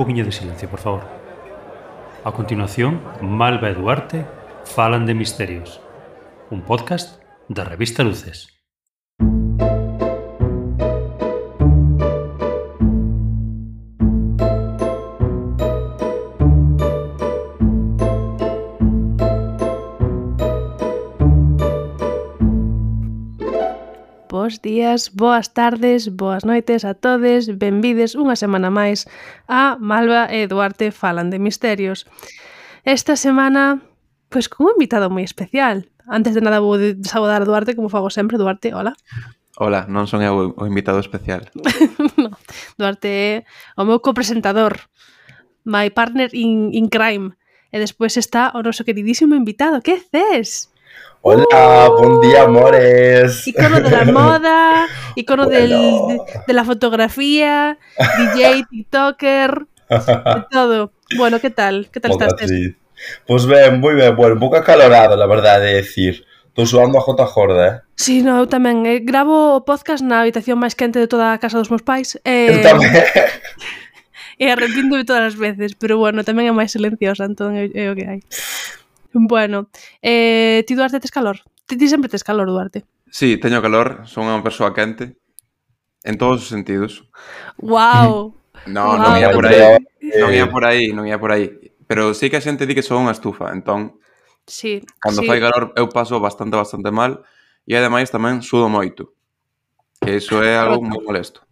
poquinho de silencio, por favor. A continuación, Malva e Duarte falan de misterios. Un podcast da revista Luces. Bos días, boas tardes, boas noites a todes, benvides unha semana máis a Malva e Duarte falan de misterios. Esta semana, pois con un invitado moi especial. Antes de nada vou saudar a Duarte, como fago sempre. Duarte, hola. Hola, non son eu o invitado especial. No, Duarte é o meu copresentador, my partner in crime. E despois está o noso queridísimo invitado. Que ces? Hola, bon día, amores. Icono de la moda, icono Bueno. de la fotografía, DJ, TikToker, de todo. Bueno, ¿qué tal? ¿Qué tal estás? Pues ben, moi ben. Bueno, un pouco acalorado, la verdade de decir. Estou suando a jota jorda, Sí, no, eu tamén. Gravo o podcast na habitación máis quente de toda a casa dos meus pais. Eu tamén. E arrepíndome todas as veces, pero bueno, tamén é máis silenciosa, entón é o que hai. Bueno, ti, Duarte, tes calor? Ti sempre tes calor, Duarte? Sí, teño calor, son unha persoa quente en todos os sentidos. Wow. Non ia por aí. Pero sí que a xente di que son unha estufa, entón sí, cando fai calor eu paso bastante mal e ademais tamén sudo moito. Que iso é algo moi molesto.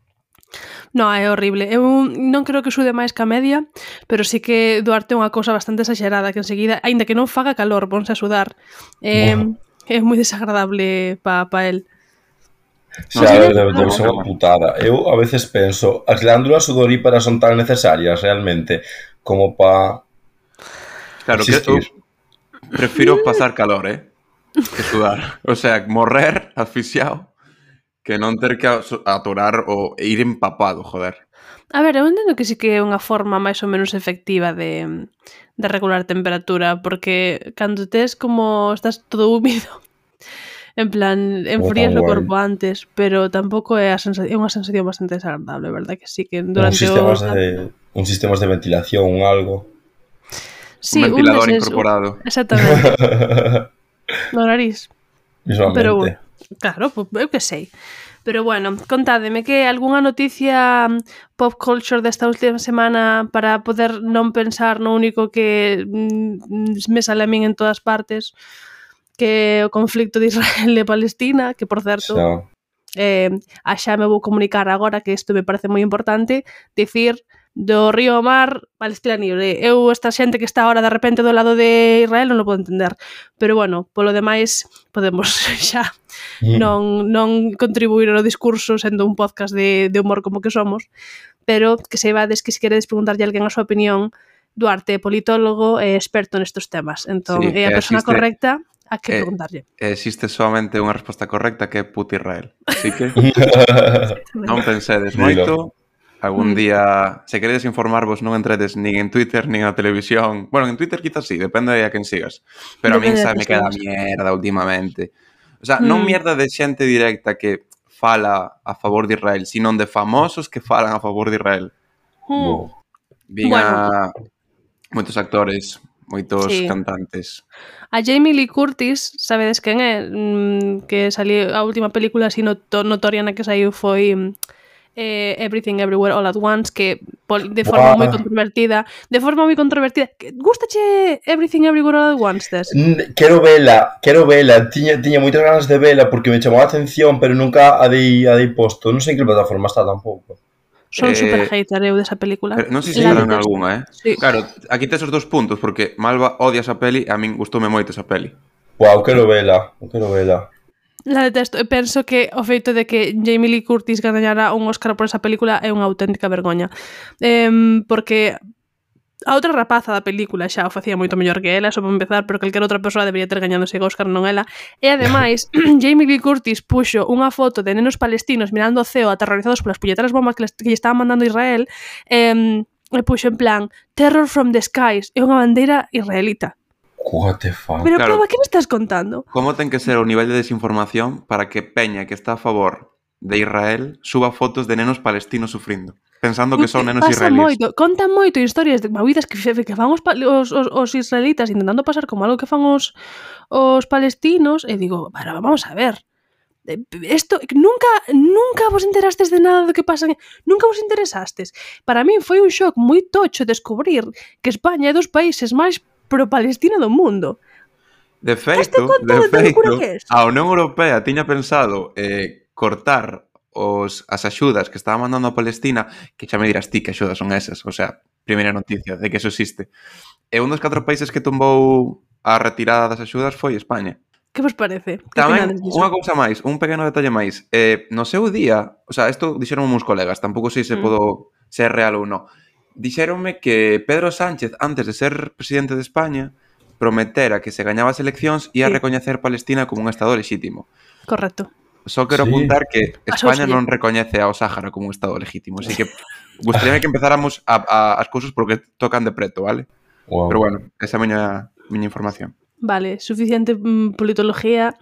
No, é horrible. Eu non creo que sude máis que a media, pero sí que Duarte é unha cousa bastante exagerada, que enseguida, aínda que non faga calor, ponse a sudar. É moi desagradable pa el. Xa, debe ser unha putada. Eu a veces penso, as glándulas sudoríparas son tan necesarias realmente como pa... Claro, existir. Que eu prefiro pasar calor, que sudar. O sea, morrer asfixiado que non ter que atorar ou ir empapado, joder. A ver, eu entendo que sí que é unha forma máis ou menos efectiva de regular temperatura, porque cando tes como estás todo húmido, en plan, enfrías o corpo antes, pero tampouco é unha sensación bastante desagradable, verdad? Que sí que durante un sistemas de ventilación, algo. Sí, un ventilador incorporado. Exactamente. No nariz. Visualmente. Pero bueno, claro, pues, eu que sei. Pero bueno, contádeme que algunha noticia pop culture desta última semana para poder non pensar no único que me sale a min en todas partes, que o conflicto de Israel e Palestina, que por certo, xa me vou comunicar agora que isto me parece moi importante, dicir do río ao mar, Palestina libre. Eu, esta xente que está ahora de repente do lado de Israel non o podo entender. Pero bueno, polo demais podemos xa non contribuir ao discurso sendo un podcast de humor como que somos, pero que saibades que se queredes preguntarlle a alguén a súa opinión, Duarte é politólogo e experto nestes temas, entón é a persona correcta a que preguntarlle. Existe solamente unha resposta correcta que é puta Israel. Así que non pensedes moito. Algún día, se queredes informarvos, non entredes nin en Twitter, nin na televisión. Bueno, en Twitter quizás sí, depende de a quen sigas. Pero a min xa me queda mierda últimamente. O sea, non mierda de xente directa que fala a favor de Israel, sino de famosos que falan a favor de Israel. Vinha moitos actores, moitos cantantes. A Jamie Lee Curtis, sabedes quen é? Que saliu a última película así notoria na que saiu foi... Everything Everywhere All at Once, que de forma moi controvertida. Gústache Everything Everywhere All at Once, Tess? Quero vela. Tiña moitas ganas de vela porque me chamou a atención, pero nunca a dei posto. Non sei en que plataforma está tampouco. Son super hater eu desa película. Non sei se farán algunha, Sí. Claro, aquí tes os dos puntos, porque Malva odia esa peli e a min gustoume moito esa peli. Quero vela. La detesto, e penso que o feito de que Jamie Lee Curtis gañara un Óscar por esa película é unha auténtica vergoña, porque a outra rapaza da película xa o facía moito mellor que ela, só para empezar, pero calquera outra persoa debería ter gañado ese Óscar, non ela. E ademais, Jamie Lee Curtis puxo unha foto de nenos palestinos mirando o ceo aterrorizados polas puñeteras bombas que lle estaban mandando Israel, e puxo en plan Terror from the Skies, é unha bandeira israelita. What the fuck? Pero, claro, que me estás contando? Como ten que ser o nivel de desinformación para que Peña, que está a favor de Israel, suba fotos de nenos palestinos sufrindo? pensando que son nenos Pasa israelíes. Contan moito historias de movidas que fan os israelitas intentando pasar como algo que fan os palestinos, e digo, pero vamos a ver, esto nunca vos enterastes de nada do que pasa, nunca vos interesastes. Para min foi un shock moi tocho descubrir que España é dos países máis pro-Palestina do mundo. De feito, a Unión Europea tiña pensado cortar as axudas que estaba mandando a Palestina, que xa me dirás ti que axudas son esas, o sea, primeira noticia de que eso existe. E un dos 4 países que tombou a retirada das axudas foi España. Que vos parece? Tamén, unha cousa máis, un pequeno detalle máis. No seu día, o sea, isto dixeron uns colegas, tampouco sei se podo ser real ou non. Dixéronme que Pedro Sánchez, antes de ser presidente de España, prometera que se gañaba as eleccións ia recoñecer Palestina como un estado lexítimo. Correcto. Só quero apuntar que España non recoñece ao Sáhara como un estado legítimo, así que gustaríame que empezáramos as cousas porque tocan de preto, vale? Wow. Pero bueno, esa é a miña información. Vale, suficiente politología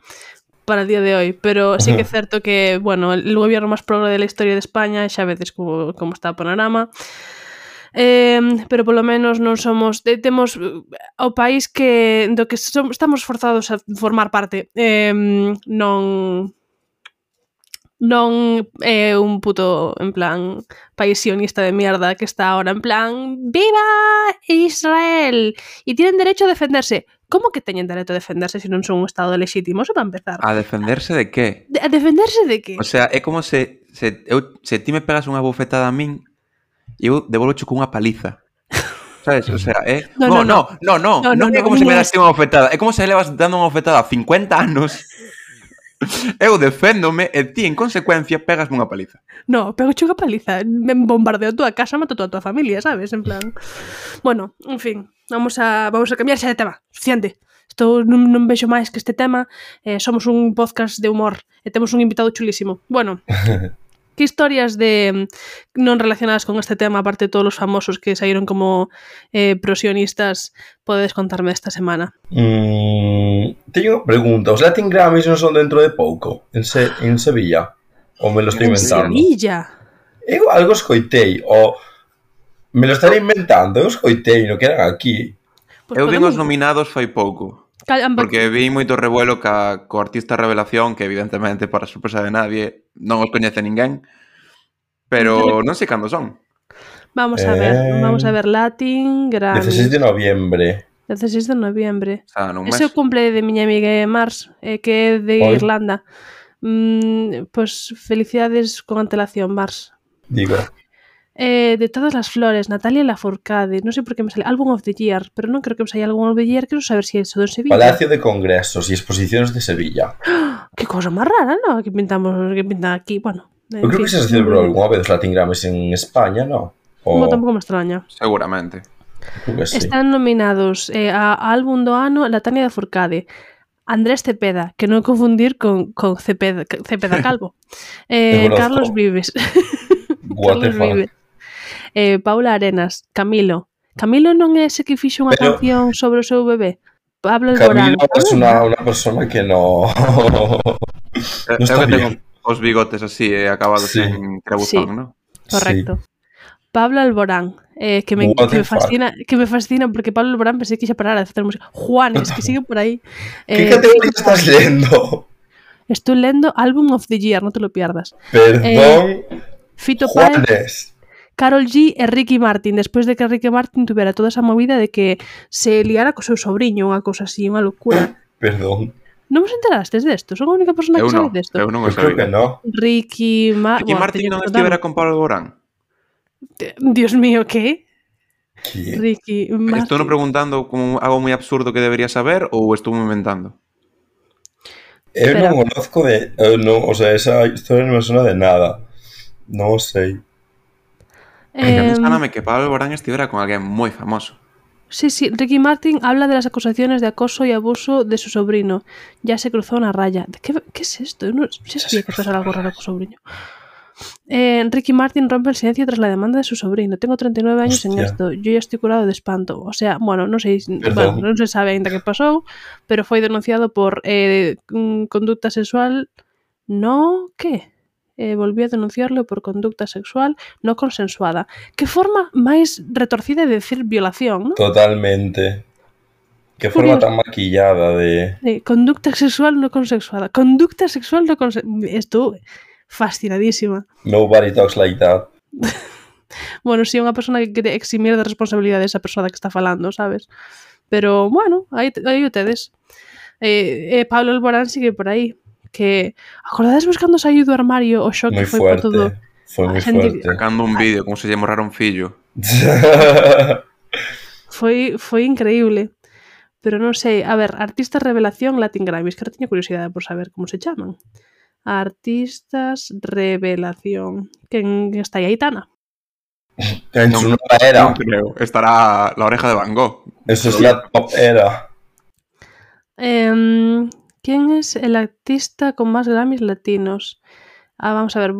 para el día de hoy, pero sí que é certo que, bueno, el gobierno máis progre de la historia de España, xa vedes como está o panorama, pero polo menos non somos, temos o país que do que estamos forzados a formar parte, non é un puto, en plan, país sionista de mierda que está ahora en plan ¡viva Israel! Y tienen derecho a defenderse. Como que teñen derecho a defenderse se non son un estado lexítimo? Eso para empezar. A defenderse de que? A defenderse de que? O sea, é como se ti me pegas unha bofetada a min e eu devolvo cunha paliza. Sabes? O sea, Non é como se me das unha bofetada. É como se levas dando unha bofetada 50 anos. Eu deféndome e ti, en consecuencia, pegasme unha paliza. No, pego unha paliza. Me bombardeo a túa casa, mato a tua familia, sabes? En plan... Bueno, en fin, vamos a cambiar xa de tema. Suficiente. Isto non vexo máis que este tema. Somos un podcast de humor e temos un invitado chulísimo. Bueno... Que historias non relacionadas con este tema, aparte de todos os famosos que saíron como prosionistas, podedes contarme esta semana? Teño unha pregunta. Os Latin Grammys non son dentro de pouco? En Sevilla? Ou me lo estou inventando? En Sevilla? Eu algo escoitei, ou me lo estarei inventando, eu escoitei, non que eran aquí. Pues eu vi os nominados fai pouco. Porque vi moito revuelo co artista revelación, que evidentemente, para sorpresa de nadie, non os coñece ninguén, pero non sei cando son. Vamos a ver, Latin Grammy. 16 de noviembre. 16 de noviembre. O sea, ese é o cumple de miña amiga Mars, que é de Irlanda. Pues felicidades con antelación, Mars. Digo. De todas las flores, Natalia Lafourcade. Non sei por que me sale Album of the Year, pero non creo que me sale Album of the Year. Quero saber se é eso de Sevilla. Palacio de Congresos e Exposiciones de Sevilla. Que cosa máis rara, non? Que pintan aquí, bueno. Eu creo que se celebrou algunha vez os Latin Grammys en España, non? Non, tampouco me extraña. Seguramente. Sí. Están nominados a álbum do ano Natalia Lafourcade, Andrés Cepeda, que non confundir con Cepeda Calvo, Carlos Vives, Carlos Vives, Paula Arenas, Camilo non é ese que fixo unha canción sobre o seu bebé? Pablo Alborán. Camilo é unha persona que non está bien. Os bigotes así, acabados en trebuzón, non? Correcto. Pablo Alborán, que me fascina porque Pablo Alborán pensé que ixa parar a hacer música. Juanes, que sigue por aí. ¿Qué categoría estás leyendo? Estoy leyendo Album of the Year, no te lo pierdas. Perdón, Fito Juanes. Karol G e Ricky Martin, despois de que Ricky Martin tuvera toda esa movida de que se liara co seu sobrinho, unha cousa así, unha locura. Perdón. Non vos enterastes desto? Son a única persona que sabe desto. Eu non o sabía. Creo que non. Ricky Martin non estivera con Pablo Alborán? Dios mío, ¿qué? ¿Qué? Ricky Martin. Estou non preguntando como algo moi absurdo que debería saber ou estou inventando? Eu non conozco de... o sea, esa historia non me suena de nada. Non sei. Sáname que Pablo Alborán estivera con alguén moi famoso. Sí, Ricky Martin habla de las acusaciones de acoso y abuso de su sobrino. Ya se cruzó una raya. ¿Qué es esto? No sabía que pasara algo raro con su sobrino. Ricky Martin rompe el silencio tras la demanda de su sobrino. Tengo 39 años en esto. Yo ya estoy curado de espanto. O sea, bueno, non sei, non se sabe ainda que pasou, pero foi denunciado por conducta sexual. No, ¿qué? volviu a denunciarlo por conducta sexual no consensuada. Que forma máis retorcida de decir violación, non? Totalmente. Que forma tan maquillada de... Conducta sexual no consensuada. Conducta sexual no consensuada. Estou fascinadísima. Nobody talks like that. Bueno, si é unha persona que quere eximir de responsabilidade esa persona que está falando, sabes? Pero, bueno, aí o tedes. Pablo Alborán sigue por aí. Que, acordades vos cando saiu do armario o xoque Moi foi por todo? Foi moi fuerte. Sacando un vídeo como se lle morrara un fillo. Foi increíble. Pero non sei, a ver, artistas revelación Latin Grammys, que teño curiosidade por saber como se chaman. Artistas revelación. Quen está aí? Aitana? En su nueva era. Non creo. Estará la oreja de Van Gogh. Eso es la top era. ¿Quién es el artista con más Grammys latinos? Vamos a ver,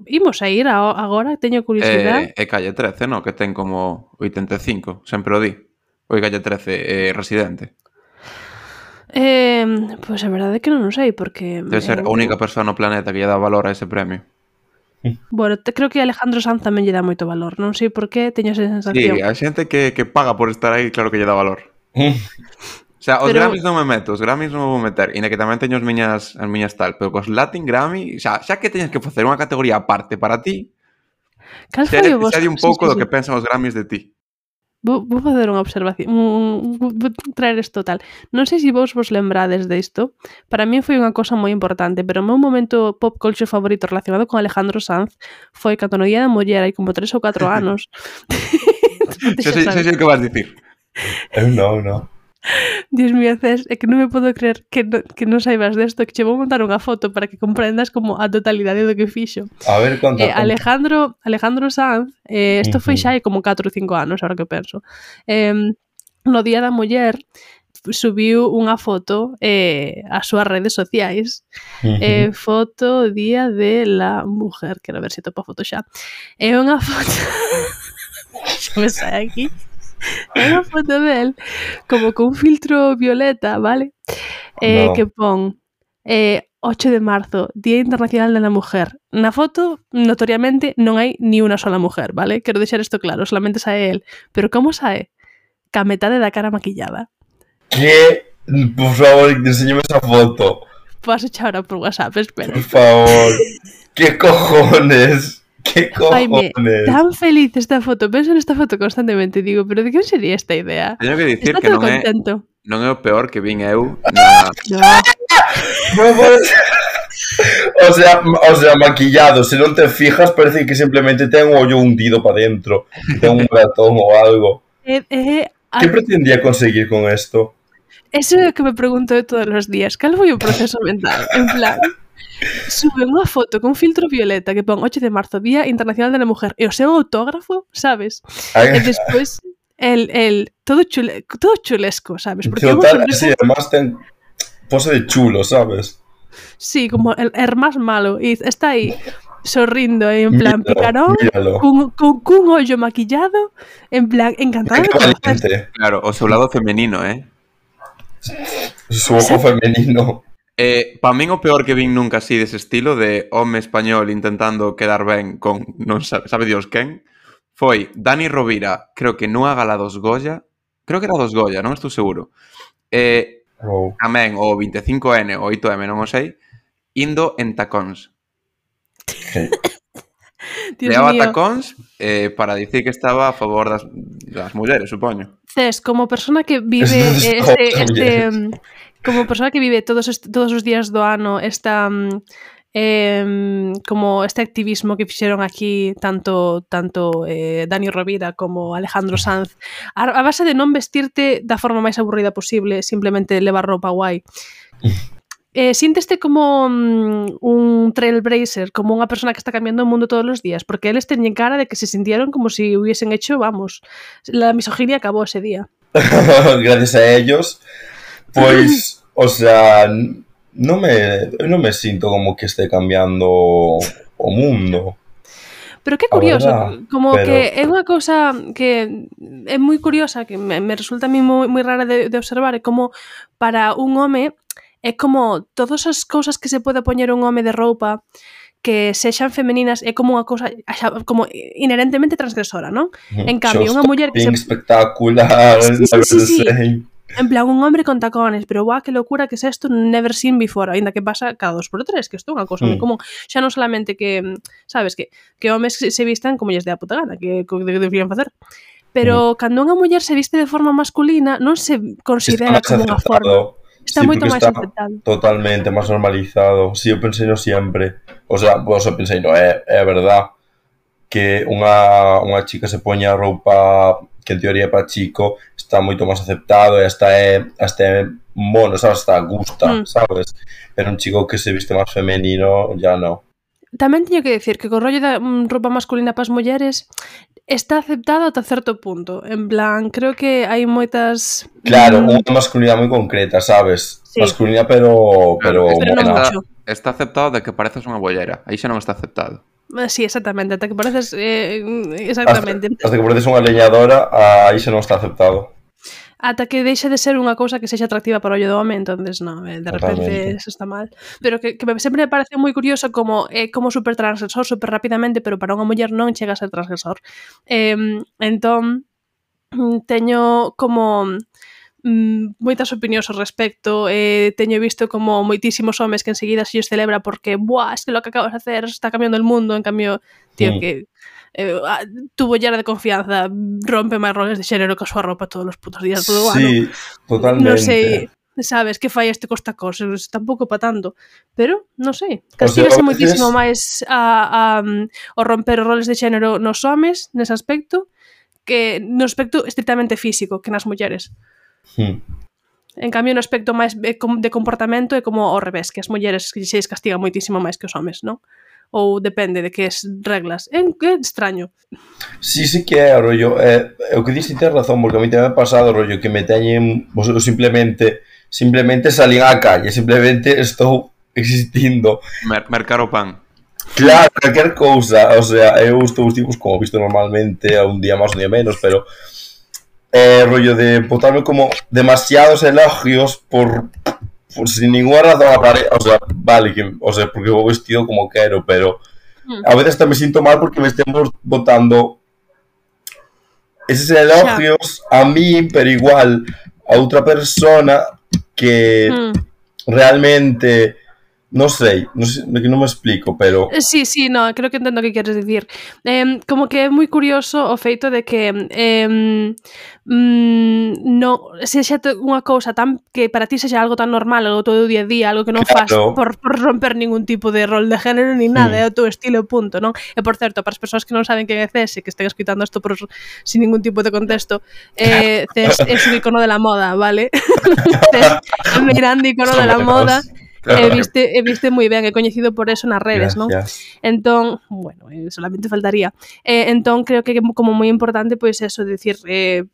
imos a ir agora, teño curiosidade. É Calle 13, no? Que ten como 85, sempre o di. Oi, Calle 13, Residente. Pois a verdade é que non sei, porque... Debe ser a única persoa no planeta que lle dá valor a ese premio. Bueno, creo que Alejandro Sanz tamén lle dá moito valor. Non sei por qué, teño esa sensación. Sí, a xente que paga por estar aí, claro que lle dá valor. O sea, os Grammys non me meto, os Grammys non me vou meter, e na que tamén teño as miñas tal, pero cos Latin Grammy, xa que teñes que facer unha categoría aparte para ti, Cal foi o vos? Sei un pouco do que pensan os Grammys de ti. Vou facer unha observación, vou traer isto tal. Non sei se vos lembrades disto. Para mí foi unha cosa moi importante, pero o meu momento pop culture favorito relacionado con Alejandro Sanz foi cando no Día da Muller hai como 3 ou 4 anos. Sei o que vas dicir. Eu non. Dios mío, Cés, é que non me podo creer que non saibas desto, que che vou montar unha foto para que comprendas como a totalidade do que fixo. A ver, conta. Alejandro Sanz, isto foi xa hai como 4 ou 5 anos, agora que penso. No Día da Muller subiu unha foto ás súas redes sociais. Foto Día de la Mujer. Quero ver se topo a foto xa. É unha foto... xa me sai aquí. É unha foto del como con un filtro violeta, vale? Que pon 8 de marzo, Día Internacional de la Mujer. Na foto, notoriamente, non hai ni unha sola mujer, vale? Quero deixar isto claro, solamente sae el. Pero como sae? Ca metade da cara maquillada. Que? Por favor, enséñame esa foto. Podes echar ahora por WhatsApp, espera. Por favor. Que cojones? Que cojones? Faime tan feliz esta foto. Penso nesta foto constantemente. Digo, pero de que sería esta idea? Teño que dicir Está que non é o peor que vin eu na... O sea, maquillado. Se non te fijas, parece que simplemente ten un ollo hundido para dentro. Ten un ratón ou algo. Que pretendía conseguir con esto? Eso é o que me pregunto de todos os días. Cal foi o proceso mental? En plan... Sube unha foto con filtro violeta que pon 8 de marzo, Día Internacional de la Mujer, e o seu autógrafo, sabes? E despois el todo chulesco, sabes? Porque total, sí, además ten pose de chulo, sabes? Sí, como el más malo, e está aí sorrindo, en plan picarón, cun ollo maquillado, en plan encantado de conocer. Claro, o seu lado femenino, Su ojo femenino. Para min o peor que vin nunca así dese estilo de home español intentando quedar ben con non sabe Dios quen foi Dani Rovira, creo que nunha gala dos Goya, creo que era dos Goya, non estou seguro. Tamén o 25N ou 8M, non o sei, indo en tacóns. Leaba tacóns para dicir que estaba a favor das mulleres, supoño. Cés, como persona que vive como persona que vive todos os días do ano esta como este activismo que fixeron aquí tanto Dani Rovira como Alejandro Sanz, a base de non vestirte da forma máis aburrida posible, simplemente levar roupa guai. Sínteste como un trailblazer, como unha persona que está cambiando o mundo todos os días, porque eles teñen cara de que se sintieron como si hubiesen hecho, vamos, la misoginia acabó ese día. Gracias a ellos. Pois, o sea, non me sinto como que este cambiando o mundo. Pero que curioso, como que é unha cousa que é moi curiosa, que me resulta a mí moi rara de observar, é como para un home, é como todas as cousas que se pode poñer un home de roupa que sexan femeninas é como unha cousa como inherentemente transgresora, non? En cambio, unha muller que espectacular, sí. En plan, un hombre con tacones, pero guau, que locura que es esto, never seen before, ainda que pasa cada 2x3, que isto é unha cousa moi común. Xa non solamente que, sabes, que homes se vistan como lles dé a puta gana, que deberían facer. Pero cando unha muller se viste de forma masculina, non se considera como unha forma. Está moito máis aceptado. Totalmente máis normalizado. Si, eu pensei no sempre. O sea, pensei, no, é verdad que unha chica se poña roupa que en teoría para chico está moito máis aceptado e hasta é mono, sabes, hasta gusta, sabes? Pero un chico que se viste máis femenino ya non. Tamén teño que decir que co rollo da roupa masculina para as mulleres está aceptado ata certo punto. En plan, creo que hai moitas... Claro, unha masculinidade moi concreta, sabes? Sí. Masculina, pero non mucho. Está aceptado de que pareces unha bollera. Aí xa non está aceptado. Sí, exactamente, ata que pareces exactamente. Hasta que pareces unha leñadora, aí xa non está aceptado. Ata que deixe de ser unha cousa que sexa atractiva para o ollo do home, entonces non, de repente eso está mal. Pero que sempre me parece moi curioso como super transgresor, super rapidamente, pero para unha muller non chega a ser transgresor. Entón, teño como moitas opinións ao respecto, teño visto como moitísimos homes que enseguida se lles celebra porque buah, es que lo que acabas de hacer está cambiando el mundo, en cambio, tío, que tu bollera de confianza rompe máis roles de xénero que a súa roupa todos os putos días todo o ano. Sí, totalmente. Non sei, sabes, que fai este costa cosas, tampouco pa tanto, pero non sei, castígase moitísimo máis o romper os roles de xénero nos homes nese aspecto que no aspecto estrictamente físico que nas mulleres. En cambio, no aspecto máis de comportamento é como ao revés, que as mulleres se castigan moitísimo máis que os homes, non? Ou depende de que es reglas. É extraño. Sí que é, rollo. O que dixi ten razón, porque a mí tamén me ha pasado, rollo, que me teñen simplemente salín á calle, simplemente estou existindo. Mercar o pan. Claro, calquer cousa. O sea, eu estou tipos como visto normalmente, a un día máis, un día menos, pero rollo de botarme como demasiados elogios por sin ninguna razón aparente, o sea, vale, porque vou vestido como quero, pero a veces tamén me sinto mal porque me estemos botando eses elogios a mí, pero igual a outra persona que realmente non sei, que non me explico, pero... Sí, no, creo que entendo o que queres dicir. Como que é moi curioso o feito de que se xa unha cousa tan que para ti sexa algo tan normal, algo todo o día a día, algo que non faz por romper ningún tipo de rol de género ni nada, é o teu estilo, punto, non? E por certo, para as persoas que non saben quen é Cés e que estén escutando isto sin ningún tipo de contexto, Cés é un icono de la moda, vale? Cés é un grande icono de la moda. Claro. E viste moi ben, é coñecido por eso nas redes, non? Entón, bueno, solamente faltaría. Entón, creo que é como moi importante, pois, eso, decir,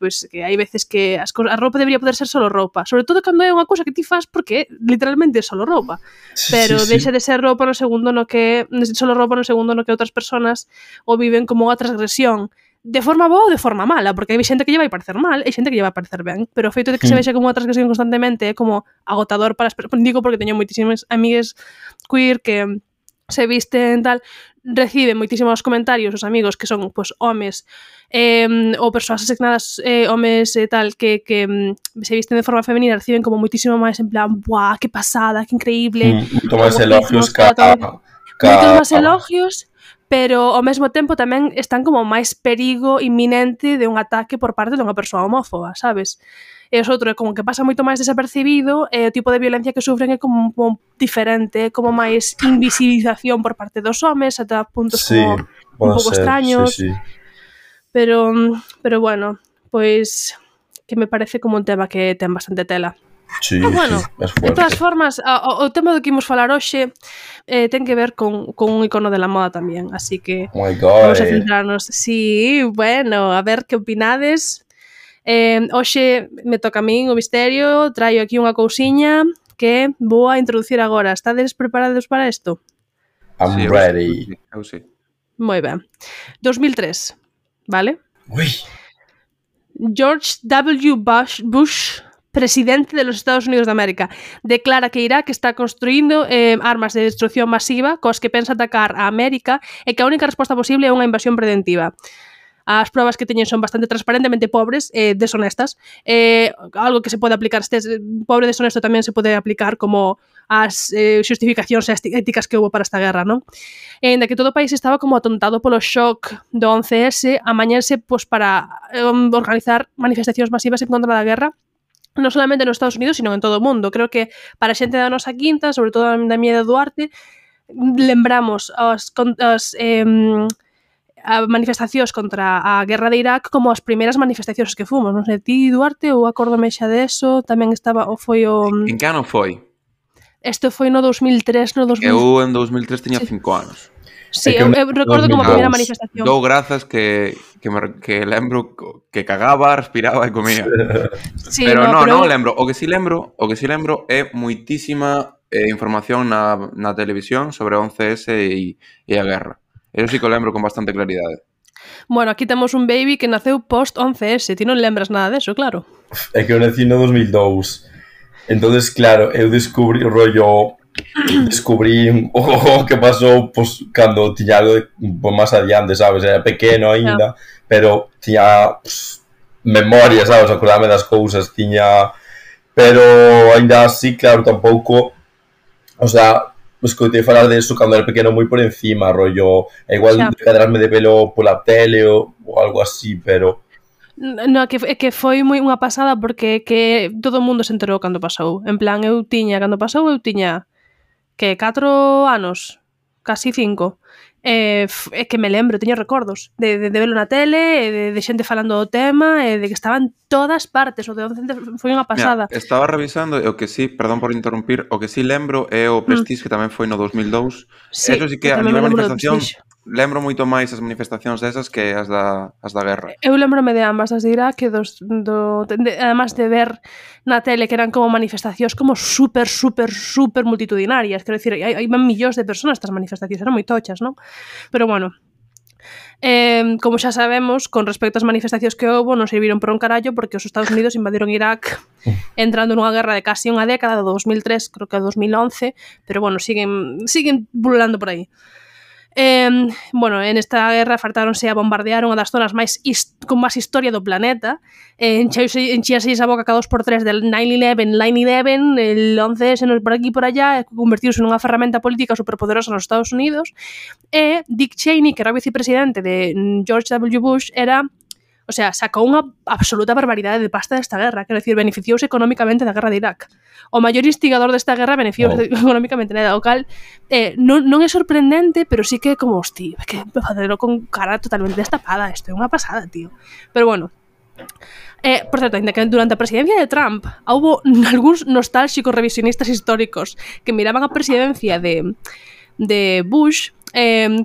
pois, que hai veces que a roupa debería poder ser solo roupa, sobre todo cando é unha cousa que ti fas porque literalmente é solo roupa, pero deixa de ser roupa no segundo no que solo roupa no segundo no que outras persoas o viven como unha transgresión, de forma boa ou de forma mala, porque hai xente que lle vai parecer mal e xente que lle vai parecer ben, pero o feito de que se vexa como unha transgresión constantemente é como agotador para as persoas. Digo porque teño moitísimas amigues queer que se visten tal, reciben moitísimos comentarios os amigos que son pues, homes ou persoas asignadas homes e tal que se visten de forma femenina, reciben como moitísimo máis en plan, buah, que pasada, que increíble, moito máis elogios moitos máis elogios, pero ao mesmo tempo tamén están como máis perigo inminente de un ataque por parte dunha persoa homófoba, sabes? E os outros como que pasa moito máis desapercibido e o tipo de violencia que sufren é como diferente, como máis invisibilización por parte dos homes ata puntos como un pouco extraños. Sí. Pero bueno, pois que me parece como un tema que ten bastante tela. Sí, bueno, de todas formas, o tema do que imos falar hoxe ten que ver con un icono de la moda tamén, así que vamos a centrarnos. Sí, bueno, a ver que opinades. Hoxe me toca a min o misterio, traio aquí unha cousiña que vou a introducir agora. Estades preparados para isto? I'm ready. Eu sí. Moi ben. 2003, vale? Ui. George W. Bush presidente de los Estados Unidos de América, declara que Irak está construindo armas de destrucción masiva cos que pensa atacar a América e que a única resposta posible é unha invasión preventiva. As probas que teñen son bastante transparentemente pobres e deshonestas. Algo que se pode aplicar, pobre e deshonesto tamén se pode aplicar como as xustificacións éticas que houve para esta guerra, non? E ainda que todo o país estaba como atontado polo shock do 11S, amañarse pues, para organizar manifestacións masivas en contra da guerra, non solamente nos Estados Unidos, sino en todo o mundo. Creo que para a xente da nosa quinta, sobre todo da miña de Duarte, lembramos as manifestacións contra a guerra de Irak como as primeiras manifestacións que fomos. Non sei, ti, Duarte, ou acórdome xa deso, tamén estaba, ou foi o... En que ano foi? Este foi no 2003, no 2000... Eu en 2003 tiña 5 anos. Sí, eu recordo como a primeira manifestación. Dou grazas que lembro que cagaba, respiraba e comía. Sí, pero non lembro. O que sí lembro é moitísima información na televisión sobre 11S e a guerra. Eso sí que o lembro con bastante claridade. Bueno, aquí temos un baby que naceu post 11S. Ti non lembras nada deso, claro. É que eu nací no 2002. Entonces, claro, eu descubrí o que pasou pues, cando tiña algo pues, máis adiante, sabes? Era pequeno aínda, pero tiña pues, memoria, sabes? Acordame das cousas, tiña... Pero aínda así, claro, tampouco... O sea... escoitei falar de eso cando era pequeno moi por encima, rollo, igual de cadrarme de velo pola tele ou algo así, pero... No, que foi moi unha pasada porque que todo o mundo se enterou cando pasou. En plan, cando pasou eu tiña que 4 anos, casi 5. É que me lembro, teño recordos de verlo na tele, de xente falando do tema, de que estaban todas partes. O de 11 foi unha pasada. Mira, estaba revisando e o que sí, perdón por interrumpir, o que sí lembro é o Prestige, que tamén foi no 2002. Sí, eso sí que a nivel manifestación lembro moito máis as manifestacións desas que as da guerra. Eu lembrome de ambas, as de Irak, además de ver na tele que eran como manifestacións como super multitudinarias. Quero dicir, hai millóns de personas estas manifestacións, eran moi tochas, non? Pero bueno, como xa sabemos, con respecto ás manifestacións que houve, non serviron por un carallo porque os Estados Unidos invadiron Irak entrando nunha guerra de casi unha década, do 2003, creo que a 2011, pero bueno, siguen pululando por aí. Bueno, en esta guerra fartáronse a bombardear unha das zonas con máis historia do planeta. Enchíase a boca cada 2x3 del 9/11, el 11S por aquí e por allá, convertiuse nunha ferramenta política superpoderosa nos Estados Unidos. E Dick Cheney, que era o vicepresidente de George W. Bush, o sea, sacou unha absoluta barbaridade de pasta desta guerra, quero dicir, beneficiouse económicamente da guerra de Irak. O maior instigador desta guerra beneficiouse económicamente nada, o cal non é sorprendente, pero sí que como, hostia, que facelo con cara totalmente destapada, isto é unha pasada, tío. Pero bueno, por certo, ainda que durante a presidencia de Trump houbo algúns nostálxicos revisionistas históricos que miraban a presidencia de Bush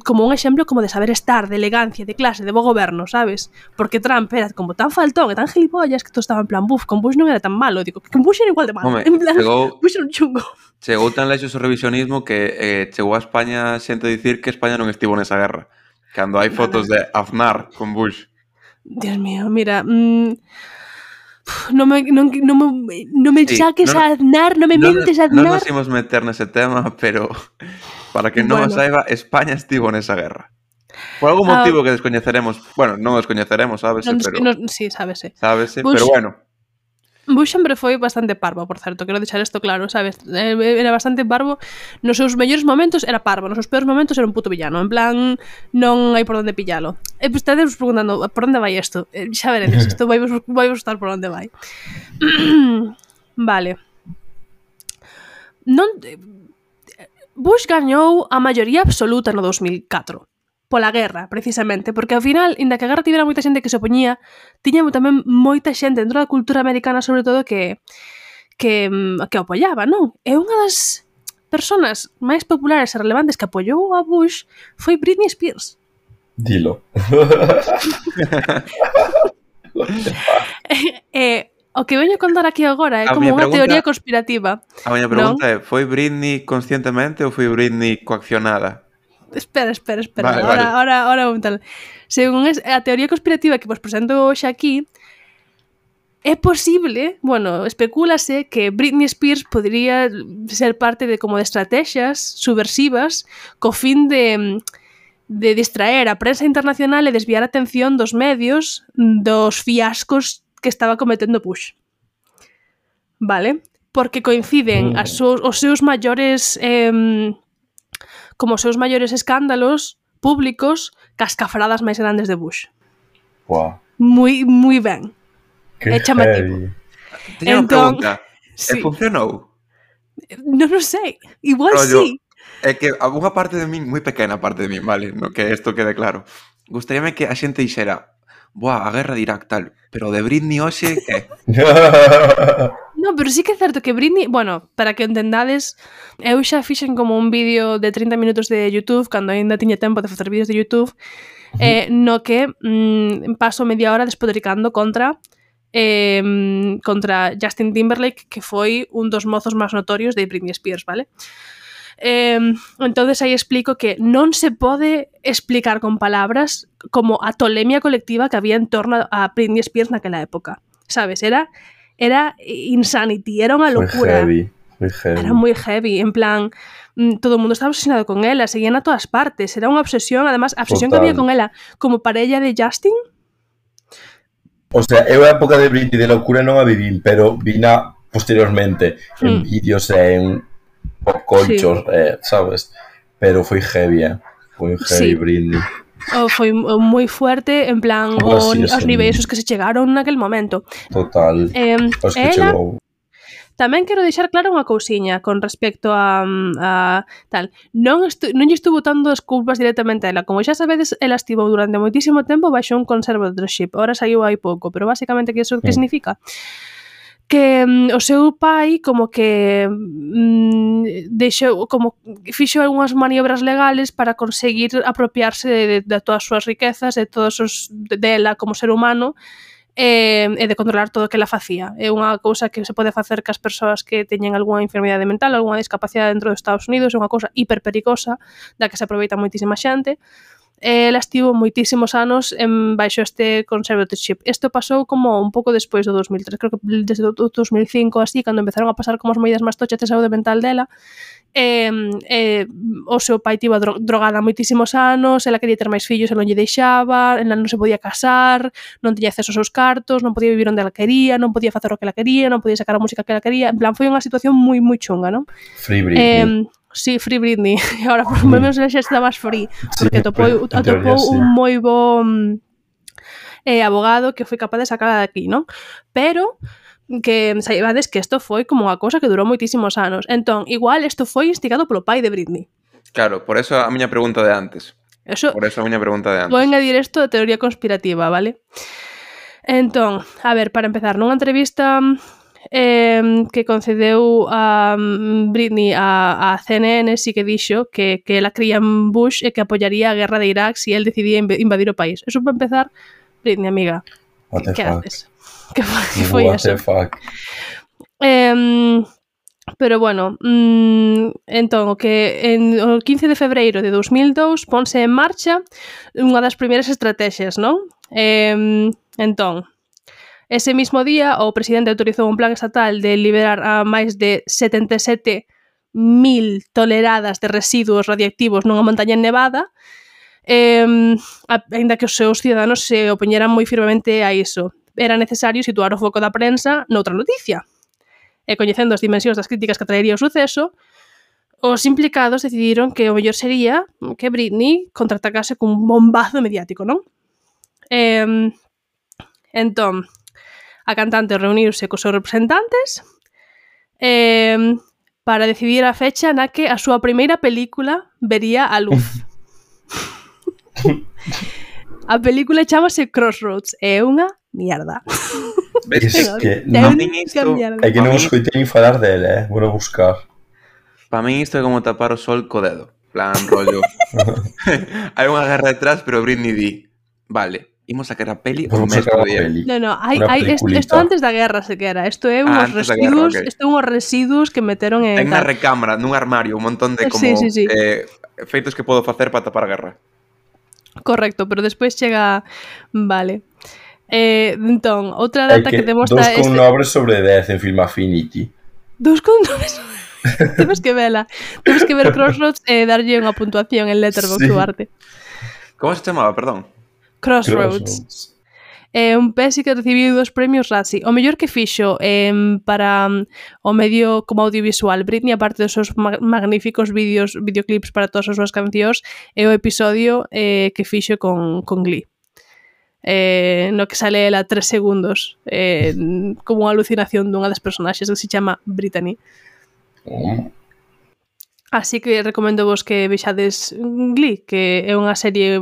como un exemplo como de saber estar, de elegancia, de clase, de bo goberno, sabes? Porque Trump era como tan faltón e tan gilipollas que todo estaba en plan, con Bush non era tan malo, digo, que Bush era igual de malo. Home, en plan, Bush era un chungo. Chegou tan lexos o revisionismo que chegou a España xente a dicir que España non estivo nesa guerra. Cando hai fotos de Aznar con Bush. Dios mío, mira... No me saques a Aznar, no me mentes a Aznar. Non nos imos meter nese tema, pero para que non o saiba, España estivo nesa guerra. Por algún motivo que descoñeceremos. Bueno, non descoñeceremos, sábese, pero... Sí, sábese. Sábese, pero bueno. Bush sempre foi bastante parvo, por certo, quero deixar isto claro, sabes? Era bastante parvo. Nos seus mellores momentos era parvo, nos seus peores momentos era un puto villano. En plan, non hai por onde pillalo. E pues, estades preguntando, por onde vai isto? Xa veredes, isto vai gustar por onde vai. Vale. Bush gañou a maioría absoluta no 2004. Pola guerra, precisamente, porque ao final, inda que a guerra tivera moita xente que se opoñía, tiña tamén moita xente dentro da cultura americana, sobre todo, que apoiaba, non? E unha das persoas máis populares e relevantes que apoiou a Bush foi Britney Spears. Dilo. O que veño a contar aquí agora é como unha teoría conspirativa. A miña pregunta é, foi Britney conscientemente ou foi Britney coaccionada? Espera. Vale, ahora vou tal. Según a teoría conspirativa que vos presento hoxe aquí, é posible, bueno, especúlase que Britney Spears podría ser parte de como de estrategias subversivas co fin de distraer a prensa internacional e desviar a atención dos medios dos fiascos que estaba cometendo Bush. Vale? Porque coinciden os seus maiores como os seus maiores escándalos públicos cas cafradas máis grandes de Bush. Wow. Moi ben. É chamativo. Teño unha pregunta. Sí. Funcionou? Non o sei. Igual sí. É que unha parte de min, moi pequena parte de min, vale, no que isto quede claro. Gustaríame que a xente dixera, a guerra de Irak tal, pero de Britney hoxe, que? No, pero sí que é certo que Britney, bueno, para que entendades, eu xa fixen como un vídeo de 30 minutos de YouTube, cando ainda tiña tempo de facer vídeos de YouTube, no que paso media hora despodricando contra Justin Timberlake, que foi un dos mozos máis notorios de Britney Spears, vale? Entonces aí explico que non se pode explicar con palabras como a tolemia colectiva que había en torno a Britney Spears naquela época, sabes? Era insanity, era unha locura. Foi heavy. Era moi heavy, en plan, todo o mundo estaba obsesionado con ela, seguían a todas partes, era unha obsesión, además, a obsesión que había con ela como parella de Justin. O sea, eu a época de Britney de locura non a vivín, pero vina posteriormente en vídeos e en pop culture, sabes? Pero foi heavy, foi heavy Britney. Foi moi fuerte, en plan, os niveis os que se chegaron naquel momento. Total, os que chegou. Tamén quero deixar clara unha cousiña con respecto a tal. Non lle estuvo botando as culpas directamente a ela. Como xa sabedes, ela estivo durante moitísimo tempo baixo un conservatorship. Ahora saiu hai pouco, pero basicamente que iso que significa? Que o seu pai como que deixou, como fixo algunhas maniobras legales para conseguir apropiarse de todas as súas riquezas, de todos os dela como ser humano, e de controlar todo o que ela facía. É unha cousa que se pode facer cas persoas que teñen algunha enfermidade mental, algunha discapacidade dentro dos Estados Unidos, é unha cousa hiperpericosa da que se aproveita moitísima xente. Ela estivo moitísimos anos baixo este conservatorship. Isto pasou como un pouco despois do 2003, creo que desde o 2005 así, cando empezaron a pasar como as medidas máis tochas de saúde mental dela. O seu pai tivo drogada moitísimos anos, ela quería ter máis fillos e non lle deixaba, ela non se podía casar, non tiña acceso aos seus cartos, non podía vivir onde ela quería, non podía facer o que ela quería, non podía sacar a música que ela quería. En plan, foi unha situación moi chunga, non? Free Britney. Sí, Free Britney. E agora, por lo menos, xa está máis free. Porque atopou un moi bo abogado que foi capaz de sacarla de aquí, non? Pero que saibades que isto foi como unha cousa que durou moitísimos anos. Entón, igual, isto foi instigado polo pai de Britney. Claro, por eso a miña pregunta de antes. Vou engadir isto de teoría conspirativa, vale? Entón, a ver, para empezar, nunha entrevista que concedeu a Britney a CNN, sí que dixo que ela cría en Bush e que apoyaría a guerra de Irak se él decidía invadir o país. Eso para empezar, Britney, amiga, que haces? Que foi eso? Pero bueno, entón, o que o 15 de febreiro de 2002 ponse en marcha unha das primeiras estrategias, non? Entón, ese mismo día, o presidente autorizou un plan estatal de liberar a máis de 77.000 toneladas de residuos radioactivos nunha montaña nevada, aínda que os seus ciudadanos se opoñeran moi firmemente a iso. Era necesario situar o foco da prensa noutra noticia. E coñecendo as dimensións das críticas que traería o suceso, os implicados decidiron que o mellor sería que Britney contraatacase cun bombazo mediático, non? Entón, a cantante reuniuse cos seus representantes para decidir a fecha na que a súa primeira película vería a luz. A película chamase Crossroads, é unha mierda. É que non escoitei nin falar dele, vou buscar. Para min isto é como tapar o sol co dedo. Plan, rollo. Hai unha guerra detrás, pero Britney di, vale, imos sacar a peli un mes por día. No, isto antes da guerra sequera. Isto é unhos residuos, isto é unhos residuos que meteron en unha recámara, nun armario, un montón de como feitos que podo facer para tapar a guerra. Correcto, pero despois chega, vale. Entón, outra data que demostra... 2,9 sobre 10 en Film Affinity. 2,9 Temos que vela. Temos que ver Crossroads e darlle unha puntuación en Letterboxd Duarte. Como se chamaba, perdón? Crossroads. Un pesi que recibiu 2 premios Razzie. O mellor que fixo para o medio como audiovisual Britney, aparte dos seus magníficos videoclips para todas as súas cancións, é o episodio que fixo con Glee. No que sale ela 3 segundos como unha alucinación dunha das personaxes que se chama Brittany. Así que recomendo vos que vexades Glee, que é unha serie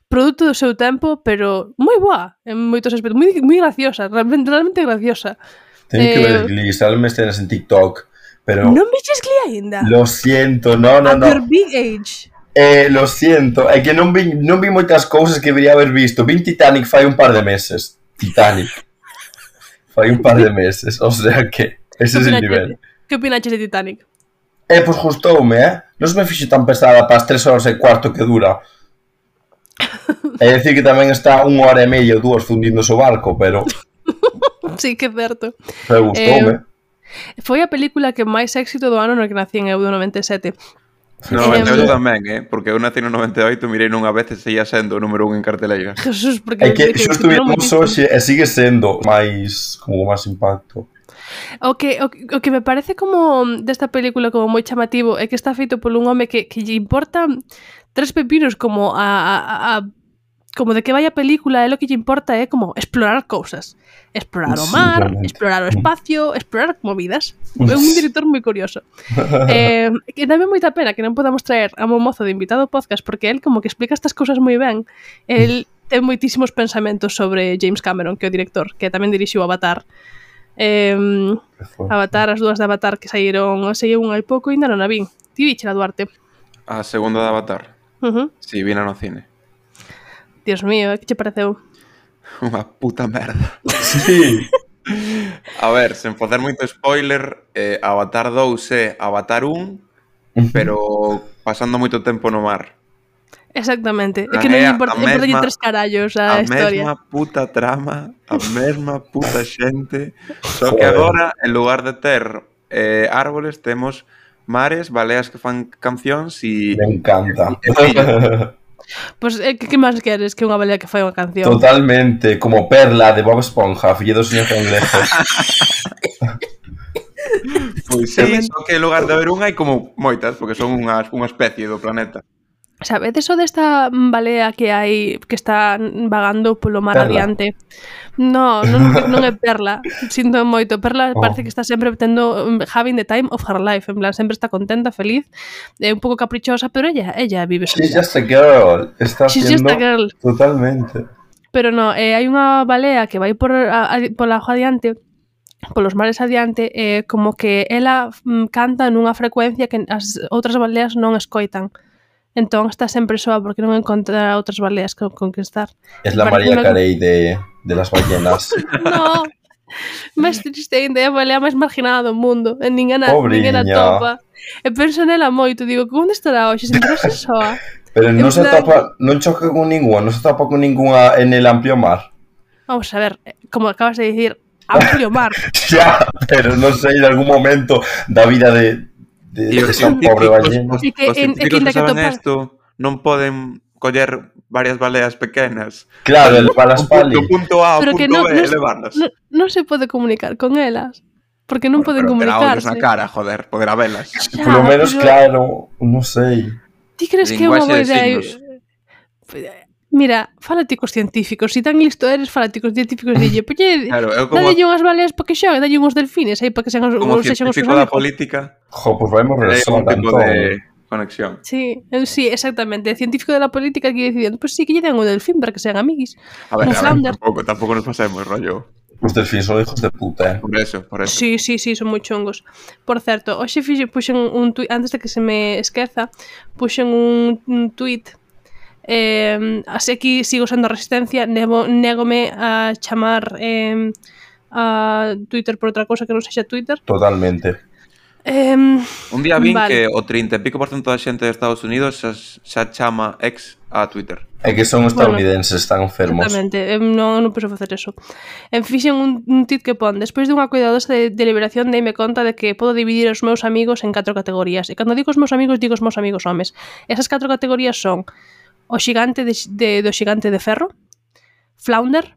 produto do seu tempo, pero moi boa en moitos aspectos, moi graciosa, realmente graciosa. Teño que ver Glee, salme escenas en TikTok, pero... Non vexes Glee aínda? Lo siento, no. At your big age. Lo siento, é que non vi moitas cousas que debería haber visto. Vi Titanic fai un par de meses. Fai un par de meses, o sea que ese é o nivel. Que opinaches de Titanic? Pois gustoume, non se me fixo tan pesada para as 3 horas e cuarto que dura. É dicir que tamén está 1 hora e media ou 2 fundindo o barco, pero... Sí, que é certo. Pero gustoume. Foi a película que máis éxito do ano no que nací en eu do 97. No 98 tamén, porque eu nací no 98, mirei nunha vez e seguía sendo o número 1 en carteleira. Jesús, porque... É que xusto vimos hoxe e sigue sendo máis impacto. O que me parece como desta película como moi chamativo é que está feito por un home que lle importa 3 pepinos como como de que vai a película, e lo que lle importa é como explorar cousas. Explorar o mar, explorar o espacio, explorar movidas. É un director moi curioso. Que dame moita pena que non podamos traer a un mozo de invitado ao podcast, porque él como que explica estas cousas moi ben. El ten moitísimos pensamentos sobre James Cameron, que é o director, que tamén dirixiu Avatar. Avatar, as dúas de Avatar que saíron un hai pouco e ainda non a vin. Ti víchela, Duarte? A segunda de Avatar? Si, vina no cine. Dios mío, que che pareceu? Unha puta merda. Sí. A ver, sen facer moito spoiler, Avatar 2 é Avatar 1, pero pasando moito tempo no mar. Exactamente, é que non importa 3 carallos a historia. A mesma puta trama, a mesma puta xente, só que agora, en lugar de ter árboles, temos mares, baleas que fan cancións e... Me encanta. Pois, que máis queres que unha balea que fai unha canción? Totalmente, como Perla de Bob Esponja, fillo do señor Cangrejo. Pois sí, só que en lugar de haber unha hai como moitas, porque son unha especie do planeta. Sabedes o desta balea que hai que está vagando polo mar adiante? Non é Perla, sinto moito. Perla parece que está sempre tendo having the time of her life, en plan, sempre está contenta, feliz, é un pouco caprichosa, pero ella vive sola. She's just a girl, está haciendo totalmente. Pero no, hai unha balea que vai pola agua adiante, polos mares adiante, como que ela canta nunha frecuencia que as outras baleas non escoitan. Entón está sempre soa porque non encontra outras baleas que conquistar. Es la María Carey de las ballenas. No, máis triste ainda, é a balea máis marginada do mundo. Ninguén a topa. E penso nela moito, digo, onde estará hoxe? Sentirase soa. Pero non se topa, non choca con ninguna, non se topa con ninguna en el amplio mar. Vamos a ver, como acabas de dicir, amplio mar. Ya, pero non sei, en algún momento da vida de esa pobre ballena. Os científicos que saben isto non poden coller varias baleas pequenas. Claro, elevarlas para ali. Do punto A ao punto B, elevarlas. Non se pode comunicar con elas. Porque non poden comunicarse. Pero na cara, joder, poder habelas. Por lo menos, claro, non sei. Ti crees que é unha boa idea? Mira, fálate cos científicos. Si tan listo eres, fálate cos científicos. Dille, dalle unhas baleas para que xoguen, dalle uns delfines aí para que sean os como científico da política. Pues vamos a un tipo de conexión. Sí, exactamente. El científico de la política aquí diciendo, pues sí, que lle den un delfín para que sean amiguis. A ver, tampouco nos pasemos, rollo. Os delfíns son hijos de puta, Por eso. Sí, son moi chungos. Por certo, hoxe puxen un tuit, antes de que se me esqueza, puxen un tuit. Así aquí sigo sendo resistencia, négome a chamar a Twitter por outra cousa que non sexa Twitter. Totalmente. Un día vin que o 30 e pico % da xente de Estados Unidos xa chama ex a Twitter. É que son estadounidenses, están enfermos. Exactamente, non penso facer eso. Fixen un tweet que pon: despois dunha cuidadosa deliberación deime conta de que podo dividir os meus amigos en 4 categorías. E cando digo os meus amigos homes. Esas 4 categorías son o xigante do xigante de ferro, Flounder,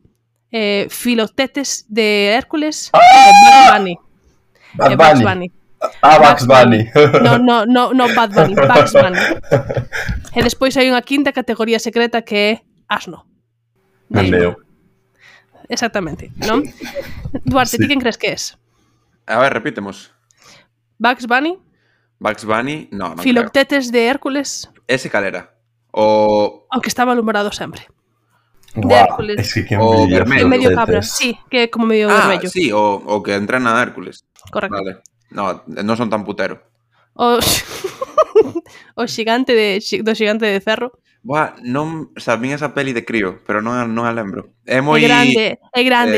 Filoctetes de Hércules e Bugs Bunny. Bugs Bunny. Bugs Bunny. No, Bad Bunny, Bugs Bunny. E despois hai unha quinta categoría secreta que é asno. Leo. Exactamente, non? Duarte, ti quen crees que es? A ver, repítemos. Bugs Bunny? Bugs Bunny, non Filoctetes de Hércules? Ese calera? O que está malhumorado sempre. De Hércules. Es que medio cabra, sí, que é como medio vermello. Sí, o que entrena a Hércules. Correcto. Vale. No son tan putero. O xigante do xigante de ferro. Buah, non sabín esa peli de crío, pero non a lembro. É moi grande,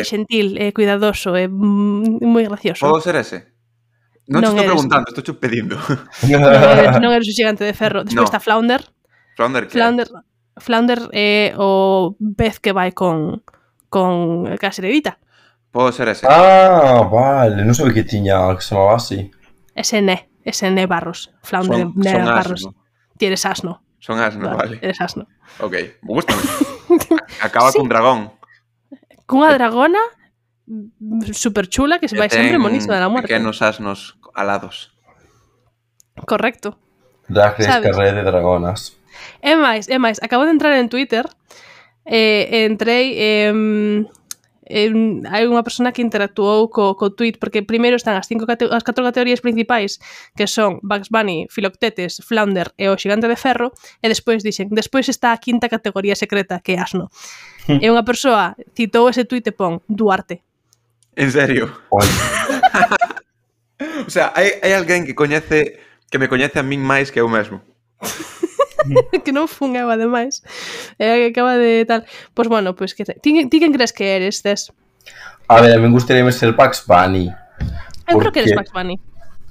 xentil, cuidadoso, é moi gracioso. Podo ser ese? Non te estou preguntando, estou pedindo. Non eres o xigante de ferro. Despois está Flounder. Flounder é o pez que vai con caserevita. Podo ser ese. Vale, non sabía que tiña que se chamaba así. Ese Né Barros. Flounder Né Barros. Ti eres asno. Son asno, vale. Eres asno. Ok, gústame. Acaba cun dragón. Cunha dragona super chula que se vai sempre monísima de la muerte. Pequenos asnos alados. Correcto. Drag Race Carrera de dragonas. É máis, acabo de entrar en Twitter, entrei, hai unha persona que interactuou co tweet, porque primeiro están as 4 categorías principais, que son Bugs Bunny, Filoctetes, Flounder e o xigante de ferro, e despois está a quinta categoría secreta, que é asno. E unha persoa citou ese tweet e pon Duarte. En serio? O sea, hai alguén que me coñece a min máis que eu mesmo. Que non fun eu, ademais. Acaba de tal. Pois bueno, pois que ti quen crees que eres, Tes? A ver, a mí gustaría ser Bugs Bunny. Eu creo que eres Bugs Bunny.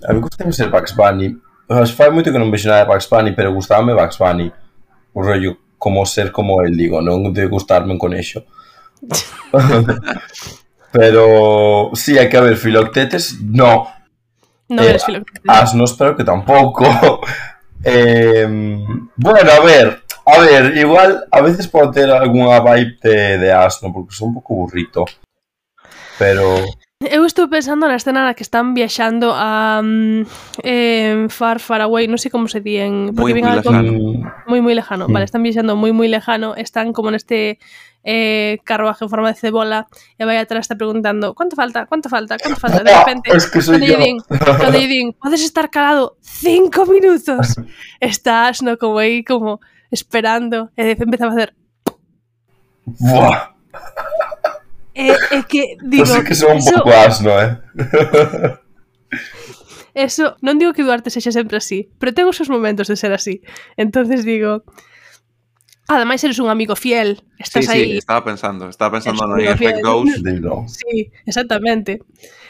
A mí gustaría ser Bugs Bunny. Fai moito que non vexo nada de Bugs Bunny, pero gustábame Bugs Bunny. O rollo, como ser como el, digo, non de gustarme en conexo. Pero sí, hai que haber Filoctetes, no. Non eres Filoctetes. Asnos, pero que tampouco. Bueno, a ver, igual a veces puedo tener alguna vibe de asno, porque son un pouco burrito. Pero... Eu estou pensando na escena na que están viaxando a far away, non sei como se di en... Moi lejano. Moi lejano, vale, están viaxando moi lejano, están como neste carruaje en forma de cebola e vai atrás está preguntando ¿cuánto falta? De repente, es que soy cando lle din, podes estar calado 5 minutos, estás como aí como esperando e empeza a facer buah. É que, digo... Pues é que son un pouco asno, Eso, non digo que Duarte sexa sempre así, pero ten os seus momentos de ser así. Entonces digo... Ademais, eres un amigo fiel. Estás aí... Sí, estaba pensando no Effect Ghost. Sí, exactamente.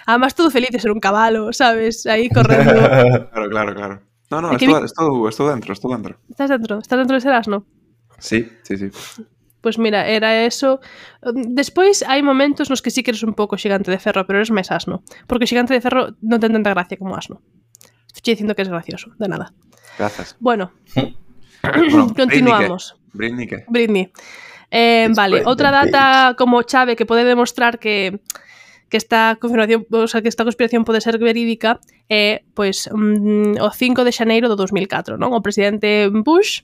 Además, todo feliz de ser un cabalo, sabes? Aí correndo. Claro. No, estou dentro. Estás dentro de ser asno? Sí. Pois mira, era eso. Despois hai momentos nos que sí que eres un pouco xigante de ferro, pero eres máis asno. Porque o xigante de ferro non ten tanta gracia como asno. Estou dicindo que es gracioso, de nada. Gracias. Bueno, continuamos. Britney. Vale, outra data como chave que pode demostrar que esta confirmación, o sea, que esta conspiración pode ser verídica é, pois, o 5 de xaneiro do 2004, non? O presidente Bush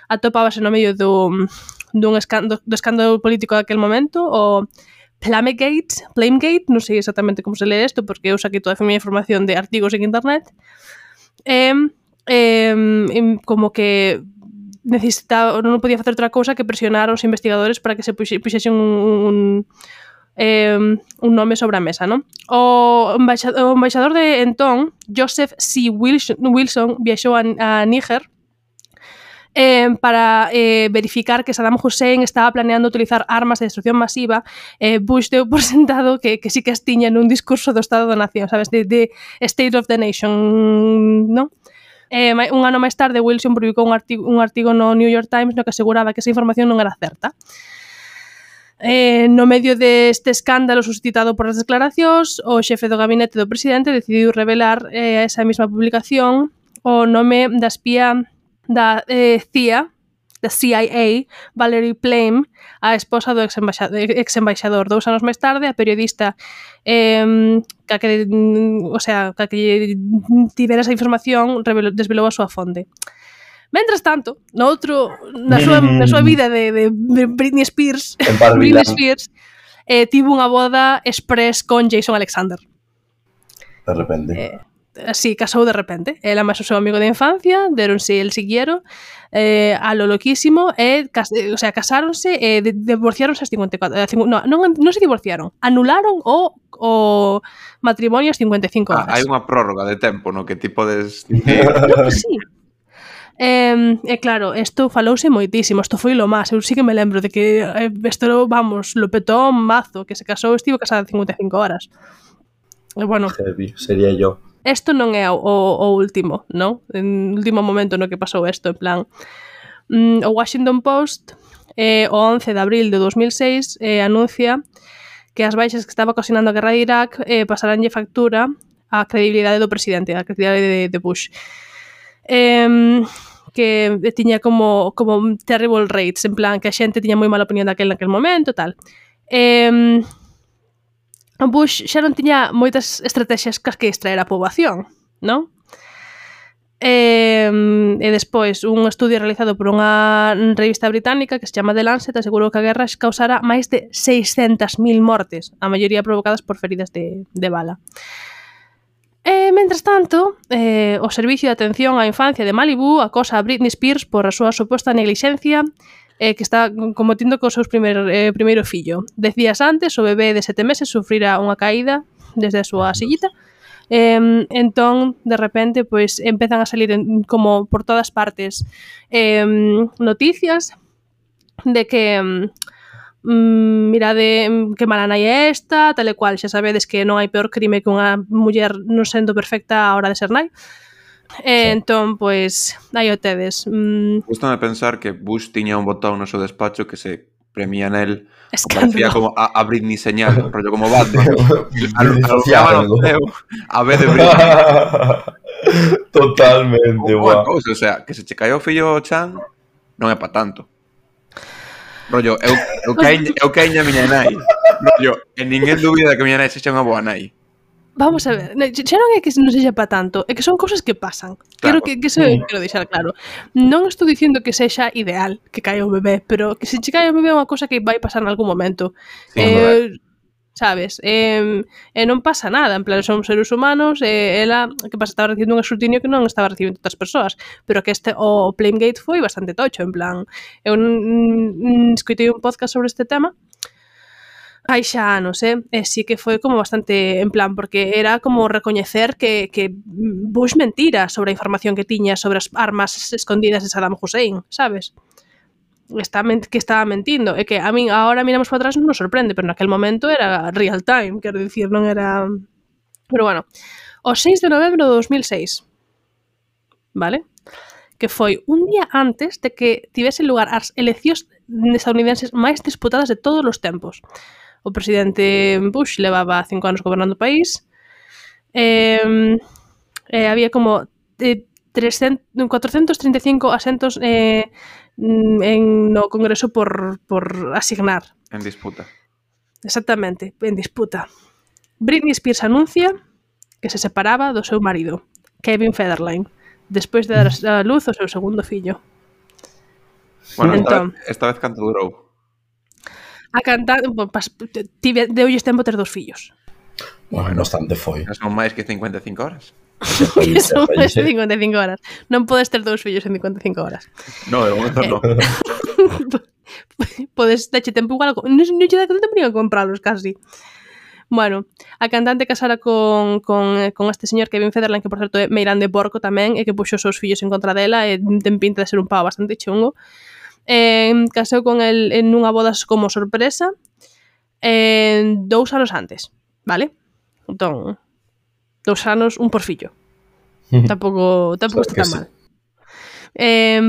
atopábase no medio do escándalo político daquel momento, o Flamegate, non sei exactamente como se lee isto, porque eu saquei toda a miña información de artigos en internet, como que necesitaba, non podía facer outra cousa que presionar aos investigadores para que se puxesen un nome sobre a mesa, non? O embaixador de entón, Joseph C. Wilson, viaxou a Níger para verificar que Saddam Hussein estaba planeando utilizar armas de destrucción masiva. Bush deu por sentado que sí que as tiña nun discurso do Estado da Nación, sabes, de State of the Nation, non? Un ano máis tarde, Wilson publicou un artigo no New York Times no que aseguraba que esa información non era certa. No medio deste escándalo suscitado por as declaracións, o xefe do gabinete do presidente decidiu revelar esa mesma publicación o nome da espía da CIA, da CIA, Valerie Plame, a esposa do ex-embaixador. 2 anos máis tarde, a periodista que tivera esa información desvelou a súa fonte. Mentras tanto, na súa vida de Britney Spears, tivo unha boda express con Jason Alexander. De repente. Sí, casou de repente. Ela máis o seu amigo de infancia, deronse el siguiero, a lo loquísimo, casáronse e divorciáronse aos 54. Non se divorciaron, anularon o matrimonio aos 55 horas. Hai unha prórroga de tempo, no que ti podes... Sí. Claro, isto falouse moitísimo, isto foi lo máis. Eu sí que me lembro de que isto, vamos, lo petou mazo, que se casou, estivo casada 55 horas. Bueno, heavy, sería yo. Isto non é o último, non? En último momento no que pasou isto, en plan. O Washington Post, o 11 de abril de 2006, anuncia que as baixas que estaba ocasionando a guerra de Irak pasaranlle factura á credibilidade do presidente, á credibilidade de Bush. Que tiña como terrible rates, en plan que a xente tiña moi mala opinión naquel momento, tal. Bush xa non tiña moitas estrategias cas que extraer a poboación, non? E despois, un estudio realizado por unha revista británica que se chama The Lancet asegurou que a guerra causara máis de 600.000 mortes, a maioría provocadas por feridas de bala. Mentras tanto, o Servicio de Atención á Infancia de Malibu acosa a Britney Spears por a súa suposta neglixencia que está cometindo co seu primeiro fillo. 10 días antes, o bebé de 7 meses sufrira unha caída desde a súa sillita. Entón, de repente, pois empezan a salir como por todas partes noticias de que mirade que mala nai é esta, tal e cual. Xa sabedes que non hai peor crime que unha muller non sendo perfecta a hora de ser nai. Entón, pois, aí o tedes. Gústame pensar que Bush tiña un botón no seu despacho que se premia nel, parecía como a Britney señal, rollo como Batman. A vez de Britney. Totalmente, guau. O sea, que se che caio o fillo Chan non é pa tanto. Rollo, eu caíña a miña nai. Rollo, en ninguén dúbida de que a miña nai sexa unha boa nai. Vamos a ver, xa non é que non sexa pa tanto, é que son cousas que pasan. Claro. Quero deixar claro. Non estou dicindo que sexa ideal que caia o bebé, pero que se che caia o bebé é unha cousa que vai pasar en algún momento. Sí, sabes? Non pasa nada, en plan, son seres humanos, ela, que pasa, estaba recibindo un escrutinio que non estaba recibindo outras persoas, pero que o Plamegate foi bastante tocho, en plan, eu escoitei un podcast sobre este tema, hai xa anos, e sí que foi como bastante en plan, porque era como recoñecer que Bush mentira sobre a información que tiña sobre as armas escondidas de Saddam Hussein, sabes? Que estaba mentindo, e que a min agora miramos para atrás non nos sorprende, pero naquel momento era real time, quero dicir, non era... Pero bueno, o 6 de novembro de 2006, vale? Que foi un día antes de que tivesen lugar as eleccións estadounidenses máis disputadas de todos os tempos. O presidente Bush levaba 5 anos gobernando o país, había como 435 asentos no Congreso por asignar. En disputa. Exactamente, en disputa. Britney Spears anuncia que se separaba do seu marido, Kevin Federline, despois de dar a luz ao seu segundo fillo. Bueno, esta vez canto durou? A cantar, deulles tempo ter 2 fillos. Bueno, bastante foi. Son máis que 55 horas. Son máis que 55 horas. Non podes ter 2 fillos en 55 horas. No, de momento non. Podes dache tempo igual, non lle dá tempo nin a compralos casi. Bueno, a cantante casara con este señor Kevin Federline, que por certo é meirán de porco tamén, e que puxo os seus fillos en contra dela, e ten pinta de ser un pavo bastante chungo. Casou con el en unha boda como sorpresa 2 anos antes, vale? Entón, 2 anos, un por fillo. Tampouco está tan mal.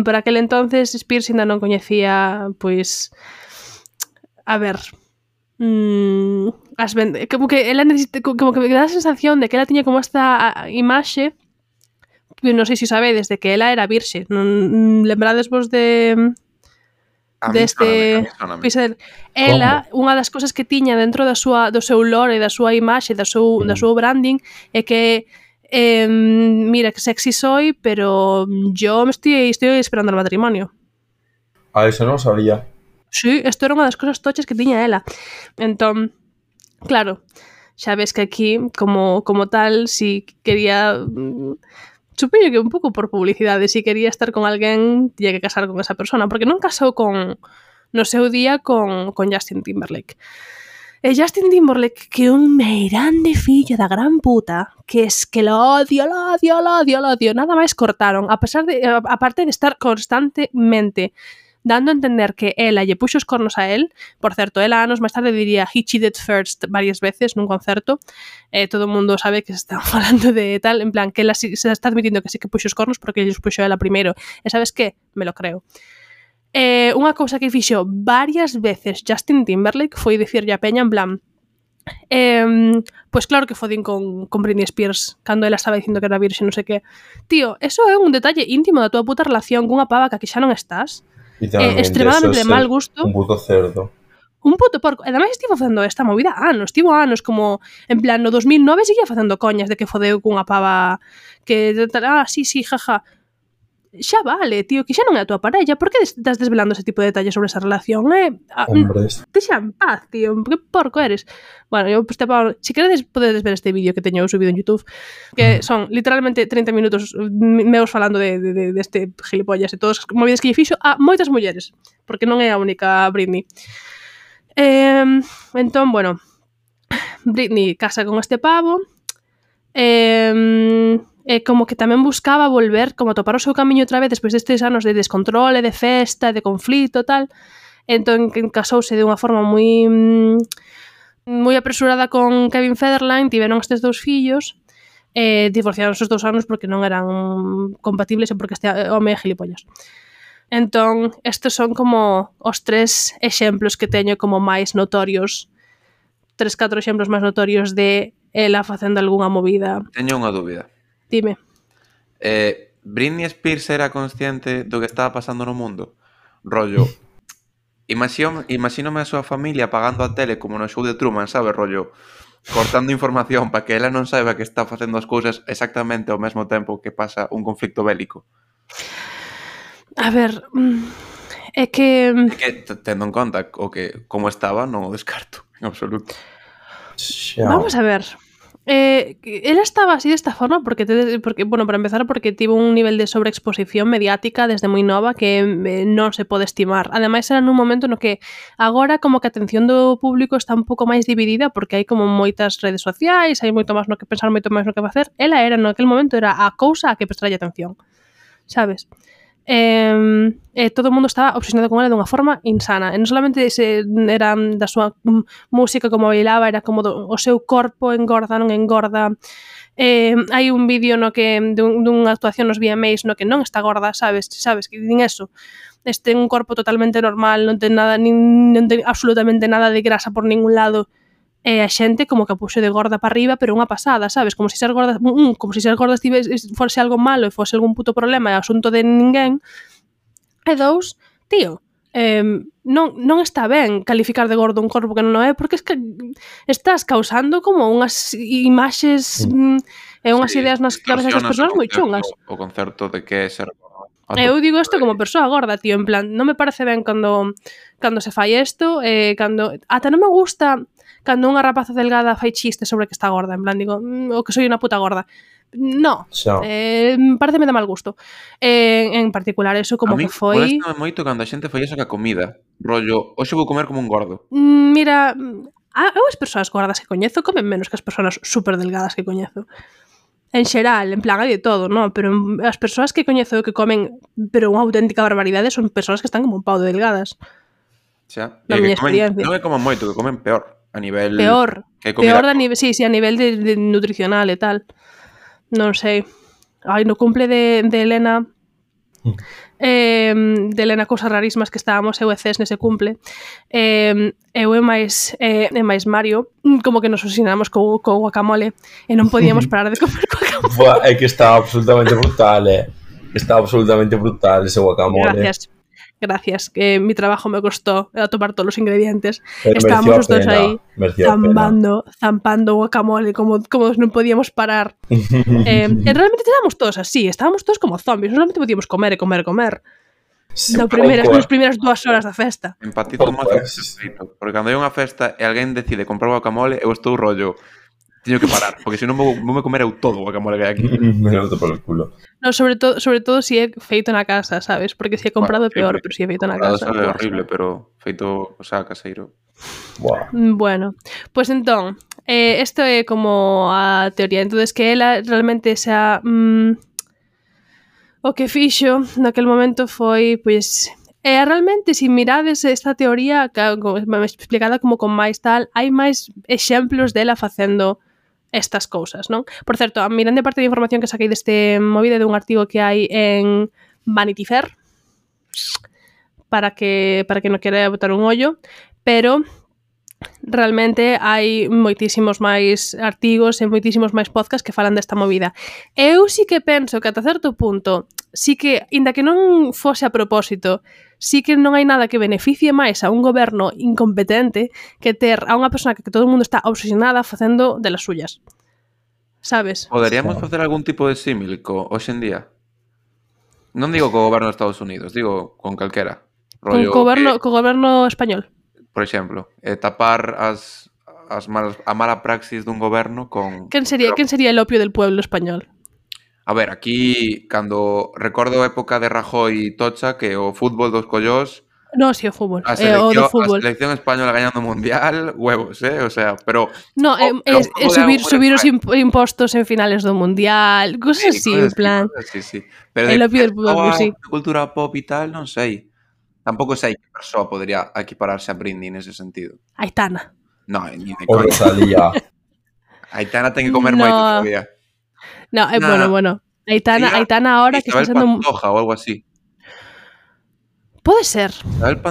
Por aquel entonces Spears ainda non coñecía, pois, a ver, como que ela como que me dá a sensación de que ela tiña como esta imaxe, que non sei se sabedes, de que ela era virxe. Lembrades vos deste episodio? Ela, unha das cousas que tiña dentro do seu lore, da súa imaxe, do seu branding, é que mira que sexy soy, pero yo me estoy esperando el matrimonio. Eso non sabía. Sí, isto era unha das cousas tochas que tiña ela. Entón, claro, xa ves que aquí, como tal, si quería... supoño que un pouco por publicidade, si quería estar con alguén, tiña que casar con esa persona, porque non casou no seu día con Justin Timberlake. E Justin Timberlake, que un meirande fillo da gran puta, que es que lo odio, nada máis cortaron, aparte de estar constantemente dando a entender que ela lle puxo os cornos a él. Por certo, ela anos máis tarde diría he cheated first varias veces nun concerto. Todo o mundo sabe que se están falando de tal, en plan, que ela se está admitindo que sí que puxo os cornos porque lle puxo ela primeiro. E sabes que? Me lo creo. Unha cousa que fixo varias veces Justin Timberlake foi dicirlle a peña en plan pois claro que fodín con Britney Spears cando ela estaba dicindo que era virxe, non sei que. Tío, eso é un detalle íntimo da tua puta relación cunha pava que xa non estás. Extremadamente de mal gusto. Un puto cerdo. Un puto porco. E ademais estivo facendo esta movida estivo anos, como en plan no 2009 seguía facendo coñas de que fodeu cunha pava que sí, jaja. Xa vale, tío, que xa non é a tua parella. Por que estás desvelando ese tipo de detalles sobre esa relación? Hombres. Deixa en paz, tío. Que porco eres. Bueno, eu si queredes podedes ver este vídeo que teño subido en YouTube, que son literalmente 30 minutos meus falando de este gilipollas e todas as movidas que lle fixo a moitas mulleres, porque non é a única Britney. Entón, bueno, Britney casa con este pavo, como que tamén buscaba volver, como a topar o seu camiño outra vez despois destes anos de descontrole, de festa, de conflito e tal. Entón casouse de unha forma moi apresurada con Kevin Federline, tiveron estes 2 fillos, divorciaron esos 2 anos porque non eran compatibles e porque este home é gilipollas. Entón, estes son como os 3 exemplos que teño como máis notorios, 3-4 exemplos máis notorios de ela facendo algunha movida. Teño unha dúbida. Dime. Britney Spears era consciente do que estaba pasando no mundo? Rollo, imagínome a súa familia apagando a tele como no show de Truman, sabe? Rollo, cortando información para que ela non saiba que está facendo as cousas exactamente ao mesmo tempo que pasa un conflicto bélico. A ver, é que tendo en conta como estaba, non o descarto, en absoluto. Vamos a ver. Ela estaba así desta forma porque, bueno, para empezar, porque tivo un nivel de sobreexposición mediática desde moi nova que non se pode estimar. Ademais, era nun momento no que agora como que a atención do público está un pouco máis dividida porque hai como moitas redes sociais, hai moito máis no que pensar, moito máis no que facer. Ela era, no aquel momento, era a cousa a que prestarlle atención, sabes? Todo o mundo estaba obsesionado con ela dunha forma insana, e non solamente era da súa música, como bailaba, era como o seu corpo engorda, non engorda. Hai un vídeo no que dunha actuación nos VMAs no que non está gorda, sabes que din eso, ten un corpo totalmente normal, non ten absolutamente nada de grasa por ningún lado. E a xente como que a puxo de gorda para arriba, pero unha pasada, sabes? Como se ser gorda, fose algo malo e fose algún puto problema, é asunto de ninguén. E 2, tío, non está ben calificar de gordo un corpo que non é, porque es que estás causando como unhas imaxes e unhas ideas nas cabezas das persoas moi chungas. O concerto de que é ser gordo. Eu digo isto como persoa gorda, tío, en plan, non me parece ben cando se fai isto, ata non me gusta cando unha rapaza delgada fai chiste sobre que está gorda, en plan, digo, o que soy unha puta gorda. No, pareceme de mal gusto. En particular, eso como que foi... A mí molestame moito cando a xente fai eso ca comida. Rollo, hoxe vou comer como un gordo. Mira, eu as persoas gordas que coñezo comen menos que as persoas super delgadas que coñezo. En xeral, en plan, hai de todo, non? Pero as persoas que coñezo que comen pero unha auténtica barbaridade son persoas que están como un pau de delgadas. Xa, na miña experiencia. Non é como moito, que comen peor. A nivel... Peor a nivel, sí, a nivel de nutricional e tal. Non sei. no cumple de Elena, de Elena Cousas Rarísimas que estábamos eu e Cés nese cumple, eu e máis Mario como que nos obsesionamos co guacamole e non podíamos parar de comer guacamole. Buah, é que estaba absolutamente brutal, estaba absolutamente brutal ese guacamole. Gracias, que mi trabajo me costó tomar todos los ingredientes. Pero estábamos os dos aí zampando guacamole como non podíamos parar. Realmente estábamos todos así, estábamos todos como zombies, solamente podíamos comer e comer e comer. Nas primeiras 2 horas da festa. Empatizo máis con feito, porque cando hai unha festa e alguén decide comprar guacamole, eu estou rollo, teño que parar, porque senón vou me comer eu todo o guacamole que hai aquí. Me lo meto polo culo. No, sobre todo si é feito na casa, sabes? Porque si é comprado é peor, pero si é feito na casa. É horrible, pero feito, o sea, caseiro. Wow. Bueno, pues entón, isto é como a teoría. Entonces que ela realmente xa o que fixo naquel momento foi, pois, realmente, se mirades esta teoría explicada como con máis tal, hai máis exemplos dela facendo estas cousas, non? Por certo, mirando parte de información que saquei deste movida de un artigo que hai en Vanity Fair para que non quere botar un ollo, pero realmente hai moitísimos máis artigos e moitísimos máis podcasts que falan desta movida. Eu sí que penso que ata certo punto, sí que, inda que non fose a propósito, sí que non hai nada que beneficie máis a un goberno incompetente que ter a unha persona que todo o mundo está obsesionada facendo de las suyas. Sabes? Poderíamos facer algún tipo de símil hoxe en día? Non digo co goberno de Estados Unidos, digo con calquera. Rollo co goberno español. Por exemplo, tapar a mala praxis dun goberno con... Quen sería el opio del pueblo español? A ver, aquí, cando recordo a época de Rajoy e Tocha, que o fútbol dos collós... No, si, o fútbol. A selección española gañando mundial, huevos, o sea, pero... No, subir os impostos en finales do mundial, cosas así, en plan... Sí. Pero el opio del pueblo, sí. Cultura pop e tal, non sei. Tampouco sei que persoa podría equipararse a Britney nese sentido. Aitana. No, ni de coña. O Rosalía. Aitana ten que comer moito todavía. No, bueno. Aitana ahora que está sendo... Pantoja ou algo así. Pode ser.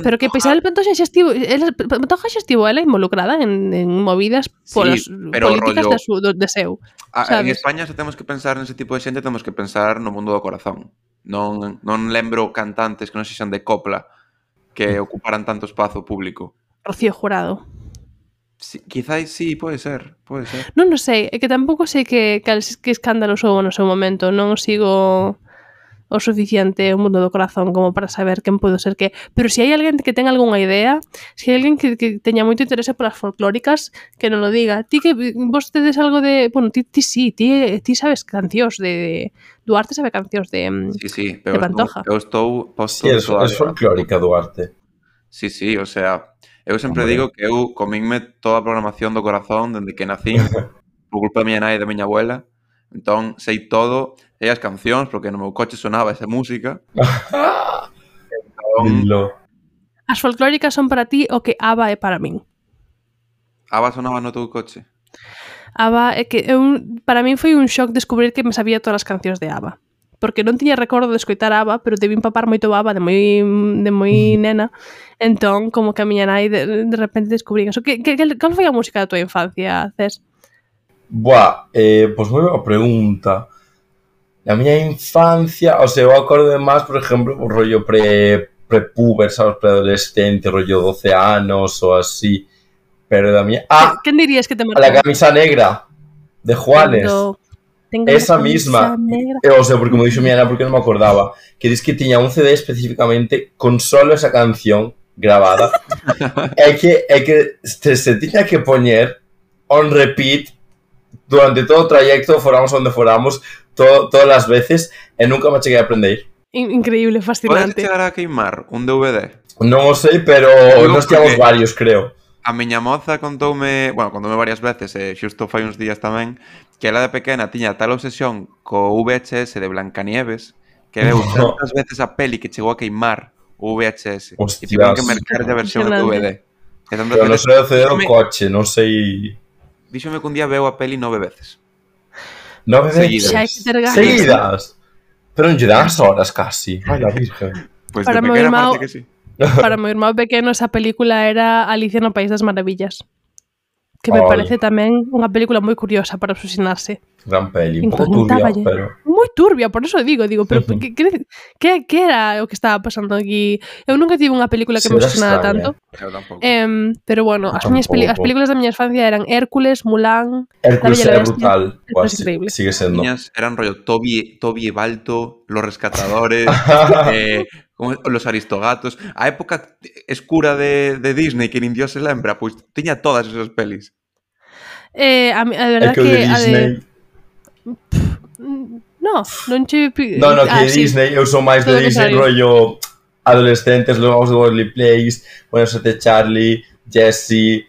Pero que Isabel Pantoja xa estivo ela involucrada en movidas políticas de seu. En España, se temos que pensar nese tipo de xente, temos que pensar no mundo do corazón. Non lembro cantantes que non sexan de copla que ocuparan tanto espazo público. Rocío Jurado. Sí, quizás sí, pode ser. Non sei, é que tampouco sei que escándalos houve no seu momento, non sigo o suficiente o mundo do corazón como para saber quen pode ser que, pero se hai alguén que ten algunha idea, se hai alguén que teña moito interese polas folclóricas, que non lo diga. Ti que vos tedes algo de, bueno, ti sabes cancións de Duarte, sabe cancións de pero de Pantoja. Eu estou posto es folclórica Duarte. Sí, o sea, eu sempre digo que eu comínme toda a programación do corazón dende que nací por culpa da miña nai e da miña abuela. Entón, sei todo, sei as cancións, porque no meu coche sonaba esa música. As folclóricas son para ti o que ABBA é para min. ABBA sonaba no teu coche? ABBA é que para min foi un shock descubrir que me sabía todas as cancións de ABBA. Porque non tiña recordo de escoitar ABBA, pero debí empapar moito ABBA de moi nena. Entón, como que a miña nai de repente descubrí eso. Cal foi a música da tua infancia, Cés? Buah, pois moi boa pregunta. Na miña infancia, o sea, eu acordo máis, por exemplo, o rollo pre-puber, sabes, preadolescente, rollo 12 anos ou así. Pero da miña... Quen dirías que te marcou? La camisa negra de Juanes. Esa misma. O sea, porque me dixo miña nena porque non me acordaba. Que dis que tiña un CD especificamente con solo esa canción grabada. É que se tiña que poñer on repeat durante todo o trayecto, foramos onde foramos, todas as veces, e nunca me cheguei a aprender. Increíble, fascinante. Podes chegar a queimar un DVD? Non o sei, pero nos teamos varios, creo. A miña moza contoume varias veces, xusto fai uns días tamén, que ela de pequena tiña tal obsesión co VHS de Blancanieves que veu tantas veces a peli que chegou a queimar o VHS. E tiveron que mercar a versión de DVD. Pero non sei o CD do coche, non sei... Díxome que un día veu a peli 9 veces. 9 veces. Seguidas. Pero non lle dan as horas casi. Ai, la virgen. Pues de pequena parece que sí. Para meu irmão pequeno esa película era Alicia no País das Maravillas. Que me parece tamén unha película moi curiosa para obsesionarse. Gran peli, un pouco turbia, pero... Moi turbia, por eso digo, pero que era o que estaba pasando aquí? Eu nunca tive unha película que me obsesionara tanto. Eu tampouco. Pero bueno, as películas da miña infancia eran Hércules, Mulan... Hércules era brutal. Es increíble. Sigue sendo. Eran rollo Toby e Balto, Los Rescatadores, Los Aristogatos. A época escura de Disney, que nin Dios se lembra, pois tiña todas esas pelis. A verdade que... Disney... non che... No, que Disney, eu sou máis de Disney, rollo adolescentes, Los Worldly Place, Buenos Aires Charlie, Jessie,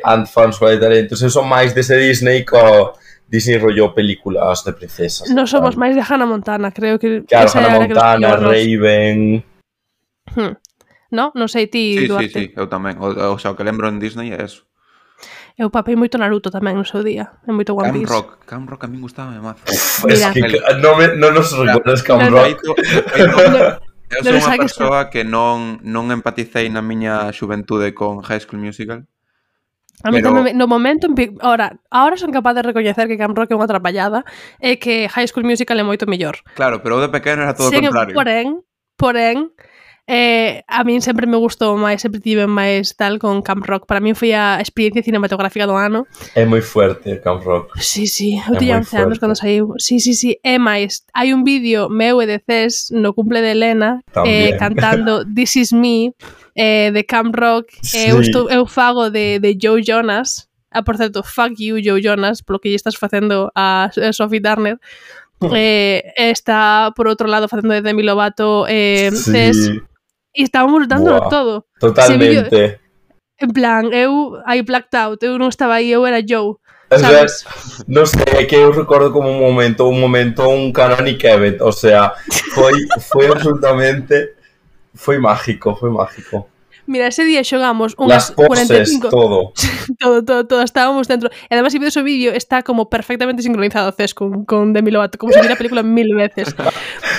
Ant Farms Fly Talentos, eu sou máis dese Disney co Disney rollo películas de princesas. Non somos máis de Hannah Montana, creo que... Claro, Hannah Montana, Raven... Non sei ti, Duarte. Sí, eu tamén. O sea, o que lembro en Disney é eso. Eu papei moito Naruto tamén no seu día. É moito One Piece. Camp Rock a mí gustaba mazo. Es que non nos recordas Camp Rock. Eu sou unha persoa que non empaticei na miña xuventude con High School Musical. A mí tamén, no momento, ahora son capaz de recoñecer que Camp Rock é unha atrapallada e que High School Musical é moito mellor. Claro, pero de pequeno era todo o contrario. Porén, a min sempre me gustou máis, sempre tive máis tal con Camp Rock. Para min foi a experiencia cinematográfica do ano. É moi fuerte Camp Rock. Sí, eu tiña 11 anos cando saiu. Sí, é máis. Hai un vídeo meu e de Cés no cumple de Elena cantando This Is Me de Camp Rock. Sí. Eu fago de Joe Jonas. Por certo, fuck you Joe Jonas polo que lle estás facendo a Sophie Turner. Está por outro lado facendo de Demi Lovato Cés. E estábamos dándolo todo. Totalmente. En plan, I blacked out, eu non estaba aí, eu era Joe. ¿Sabes? Non sei, é que eu recordo como un momento un Canonic event, o sea, foi absolutamente mágico. Mira, ese día xogamos unhas 45... todo, estábamos dentro. E además, se vedes o vídeo, está como perfectamente sincronizado Cés con Demi Lovato, como se vira a película 1000 veces.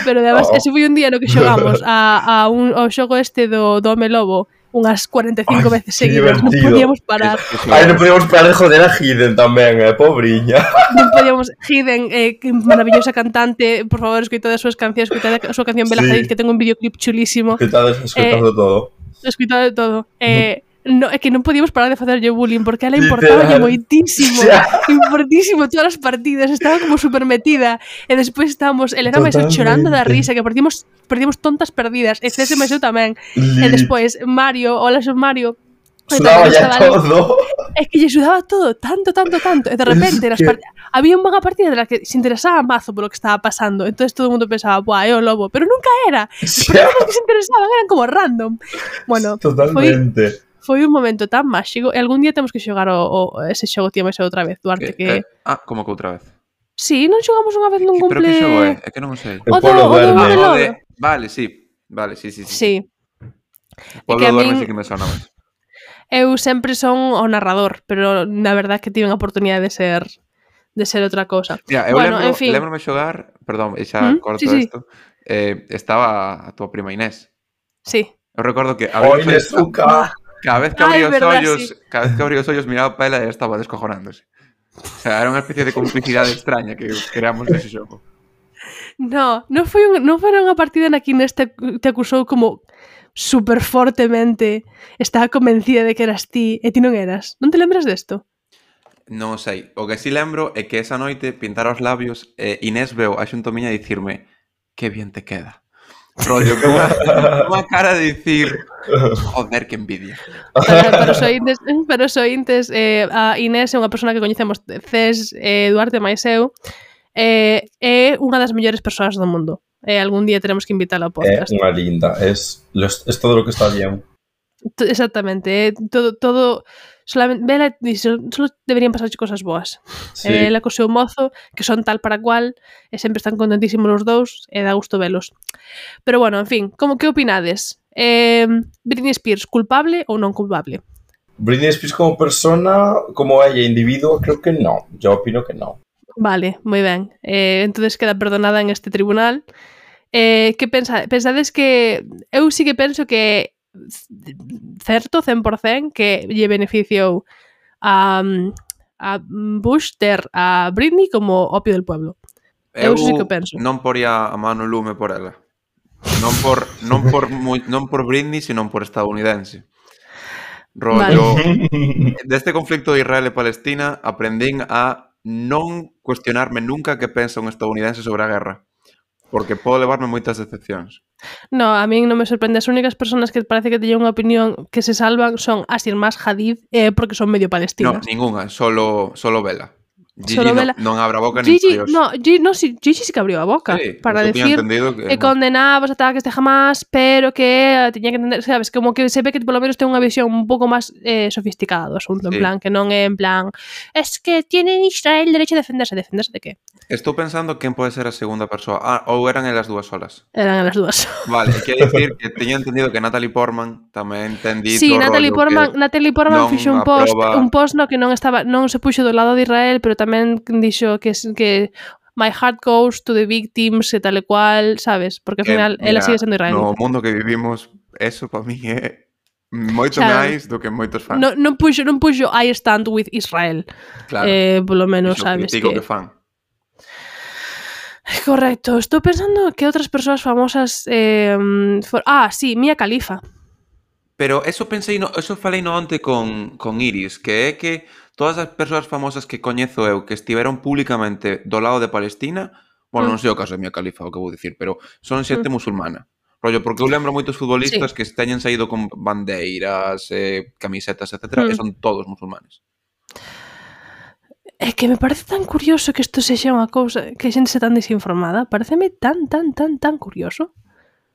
Pero además, ese foi un día no que xogamos ao xogo este do Home Lobo unhas 45 veces seguidas. Non podíamos parar. Non podíamos parar de joder a Hidden tamén, pobriña. Non podíamos... Hidden, que maravillosa cantante, por favor, escoitade as súas cancións, escoitade a súa canción Bela Hadid, que ten un videoclip chulísimo. Escoitado todo. Escoitado de todo. É que non podíamos parar de facerlle bullying porque ela importaba moitísimo. Importantísimo todas as partidas, estaba como super metida. E despois estábamos, Elena máis chorando da risa, que perdimos tontas perdidas. E César máis eu tamén. E despois Mario, hola, son Mario. Sudaba ya todo. É que lle sudaba todo, tanto. E de repente había unha partida de la que se interesaba mazo polo que estaba pasando. Entonces todo o mundo pensaba, buah, é o lobo. Pero nunca era. Os personajes que se interesaban eran como random. Bueno, totalmente. Foi un momento tan máxico. E algún día temos que xogar ese xogo, tío, máis outra vez, Duarte, que... como que outra vez? Sí, non xogamos unha vez nun cumple... Pero que xogo é? É que non o sei. O Pueblo Duerme. Vale, sí. Sí. O Pueblo Duerme sí que me sona máis. Eu sempre son o narrador, pero na verdade que tive a oportunidade de ser outra cousa. Mira, eu lembro-me xogar, perdón, xa corto isto, estaba a tua prima Inés. Sí. Eu recordo que Inés Zucca. Cada vez que abría os ollos miraba para ela e estaba descojonándose. O sea, era unha especie de complicidade extraña que creamos nese xogo. Non foi unha partida na que Inés te acusou como super fortemente, estaba convencida de que eras ti e ti non eras. Non te lembras desto? Non o sei. O que si lembro é que esa noite pintara os labios e Inés veu a xunto miña dicirme que bien te queda. Rollo, con unha cara de dicir joder, que envidia. Para os ointes, a Inés é unha persona que coñecemos Cés, Duarte máis eu, é unha das mellores persoas do mundo. Algún día teremos que invitala ao podcast. É unha linda, es todo lo que está bien. Exactamente, todo solamente vela solo deberían pasarche cosas boas. Sí. Ela co seu mozo, que son tal para cual, e sempre están contentísimos os dous, e dá gusto velos. Pero bueno, en fin, que opinades? Britney Spears, culpable ou non culpable? Britney Spears como persona, como ella individuo, creo que no. Yo opino que no. Vale, moi ben. Entonces queda perdonada en este tribunal. Que pensades que... Eu sí que penso que certo, 100%, que lle beneficiou a Bush ter a Britney como opio del pueblo. Eu sí que penso. Non poría a mano lume por ela. Non por Britney, sino por estadounidense. Rollo, deste conflicto de Israel e Palestina aprendín a non cuestionarme nunca que pensa un estadounidense sobre a guerra. Porque podo levarme moitas decepcións. No, a min non me sorprende. As únicas persoas que parece que teñen unha opinión que se salvan son as irmás Hadid, porque son medio palestinas. No, ninguna, solo Vela. Gigi non abra a boca Gigi, Gigi sí que abriu a boca para decir que condenaba os ataques de Hamas, pero que tiña que entender, sabes, como que se ve que polo menos ten unha visión un pouco máis sofisticada do asunto, en plan, que non é en plan es que tiene Israel derecho a defenderse de qué? Estou pensando quen pode ser a segunda persoa. Ou eran elas dúas solas? Eran elas dúas. Vale, quero dicir que teño entendido que Natalie Portman tamén ten dito sí, Natalie Portman fixo un post no que non se puxo do lado de Israel, pero tamén dixo que my heart goes to the victims e tal e cual, sabes? Porque ao final ela sigue sendo israelí. No mundo que vivimos, eso para mí é moito máis do que moitos fans. Non puxo I stand with Israel. Claro. Polo menos, sabes que fan. Correcto. Estou pensando que outras persoas famosas sí, Mia Khalifa. Pero eso falei no onte con Iris, que é que todas as persoas famosas que coñezo eu que estiveron públicamente do lado de Palestina, bueno, non sei o caso de Mia Khalifa, o que vou dicir, pero son xente musulmana. Rollo, porque eu lembro moitos futbolistas que teñen saído con bandeiras, camisetas, etc., e son todos musulmanes. É que me parece tan curioso que isto sexa unha cousa que a xente se tan desinformada. Pareceme tan curioso.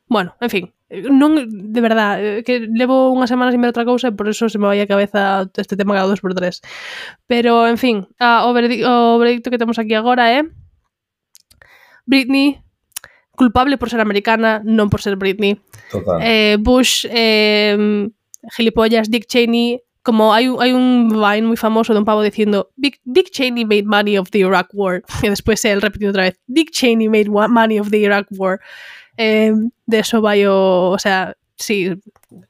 Bueno, en fin, non, de verdad, que levo unhas semanas sin ver outra cousa e por eso se me vai a cabeza este tema cada 2x3. Pero, en fin, o veredicto que temos aquí agora é Britney, culpable por ser americana, non por ser Britney. Total. Bush, gilipollas, Dick Cheney, como hai un Vine moi famoso de un pavo dicindo Dick Cheney made money of the Iraq War, e despois él repetindo outra vez Dick Cheney made money of the Iraq War. De eso vai o sea, sí,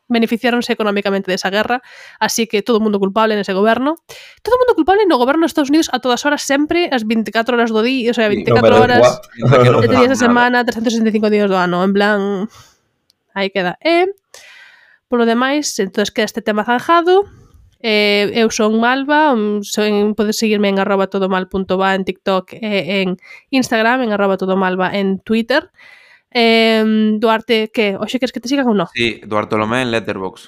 beneficiáronse económicamente desa guerra, así que todo o mundo culpable nese goberno. Todo o mundo culpable no goberno de Estados Unidos a todas horas, sempre, as 24 horas do día, o sea, 24 horas, 7 días a semana, 365 días do ano, en plan, aí queda. Por lo demais, entonces queda este tema zanjado. Eu son Malva, podes seguirme en @todomal.va en TikTok e en Instagram, en @todomalva en Twitter. Duarte, que? Oxe, queres que te sigan ou non? Sí, Duarte Lomé en Letterboxd.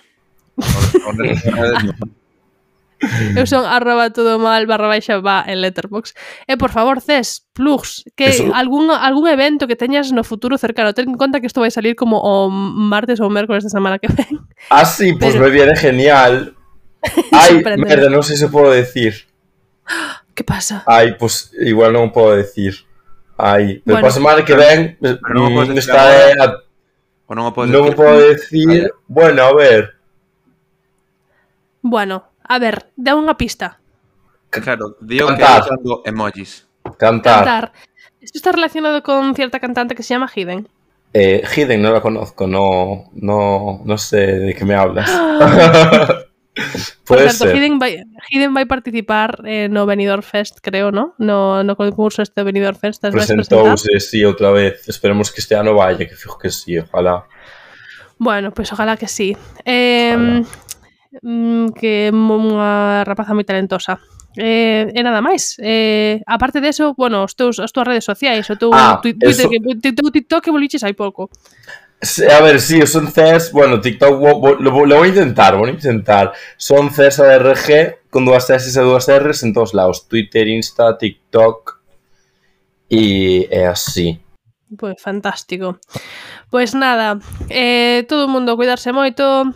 Eu son @todomal_va en Letterboxd. E por favor, Cés, plugs, que algún evento que teñas no futuro cercano. Ten en conta que isto vai salir como o martes ou o mércoles da semana que ven. Ah, sí, pues me viene genial. Ay, merda, non sei se podo decir. Que pasa? Ay, pues igual non podo decir. Ai, pero para a semana que ven non o podo decir. Bueno, a ver. Bueno, a ver, dá unha pista. Claro, digo que usando emojis. Cantar. Esto está relacionado con cierta cantante que se llama Hidden. Hidden no la conozco, no sé de qué me hablas. Por certo, Hidden vai participar no Benidorm Fest, creo, ¿no? No concurso este Benidorm Fest. Presentouse, sí, outra vez. Esperemos que este ano vaya, que fijo que sí, ojalá. Bueno, pues ojalá que sí. Que unha rapaza moi talentosa. E nada máis. Aparte de eso, bueno, as túas redes sociais, o teu Twitter, TikTok que voliches hai pouco. A ver, sí, son Cés, bueno, TikTok lo voy a intentar. Son CésarRG con 2 S e 2 Rs en todos lados, Twitter, Insta, TikTok e así. Pois fantástico. Pois nada, todo o mundo cuidarse moito,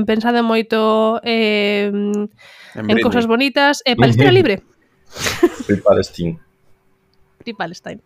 pensade moito en cousas bonitas, Palestina libre. Free Palestine. Free Palestine.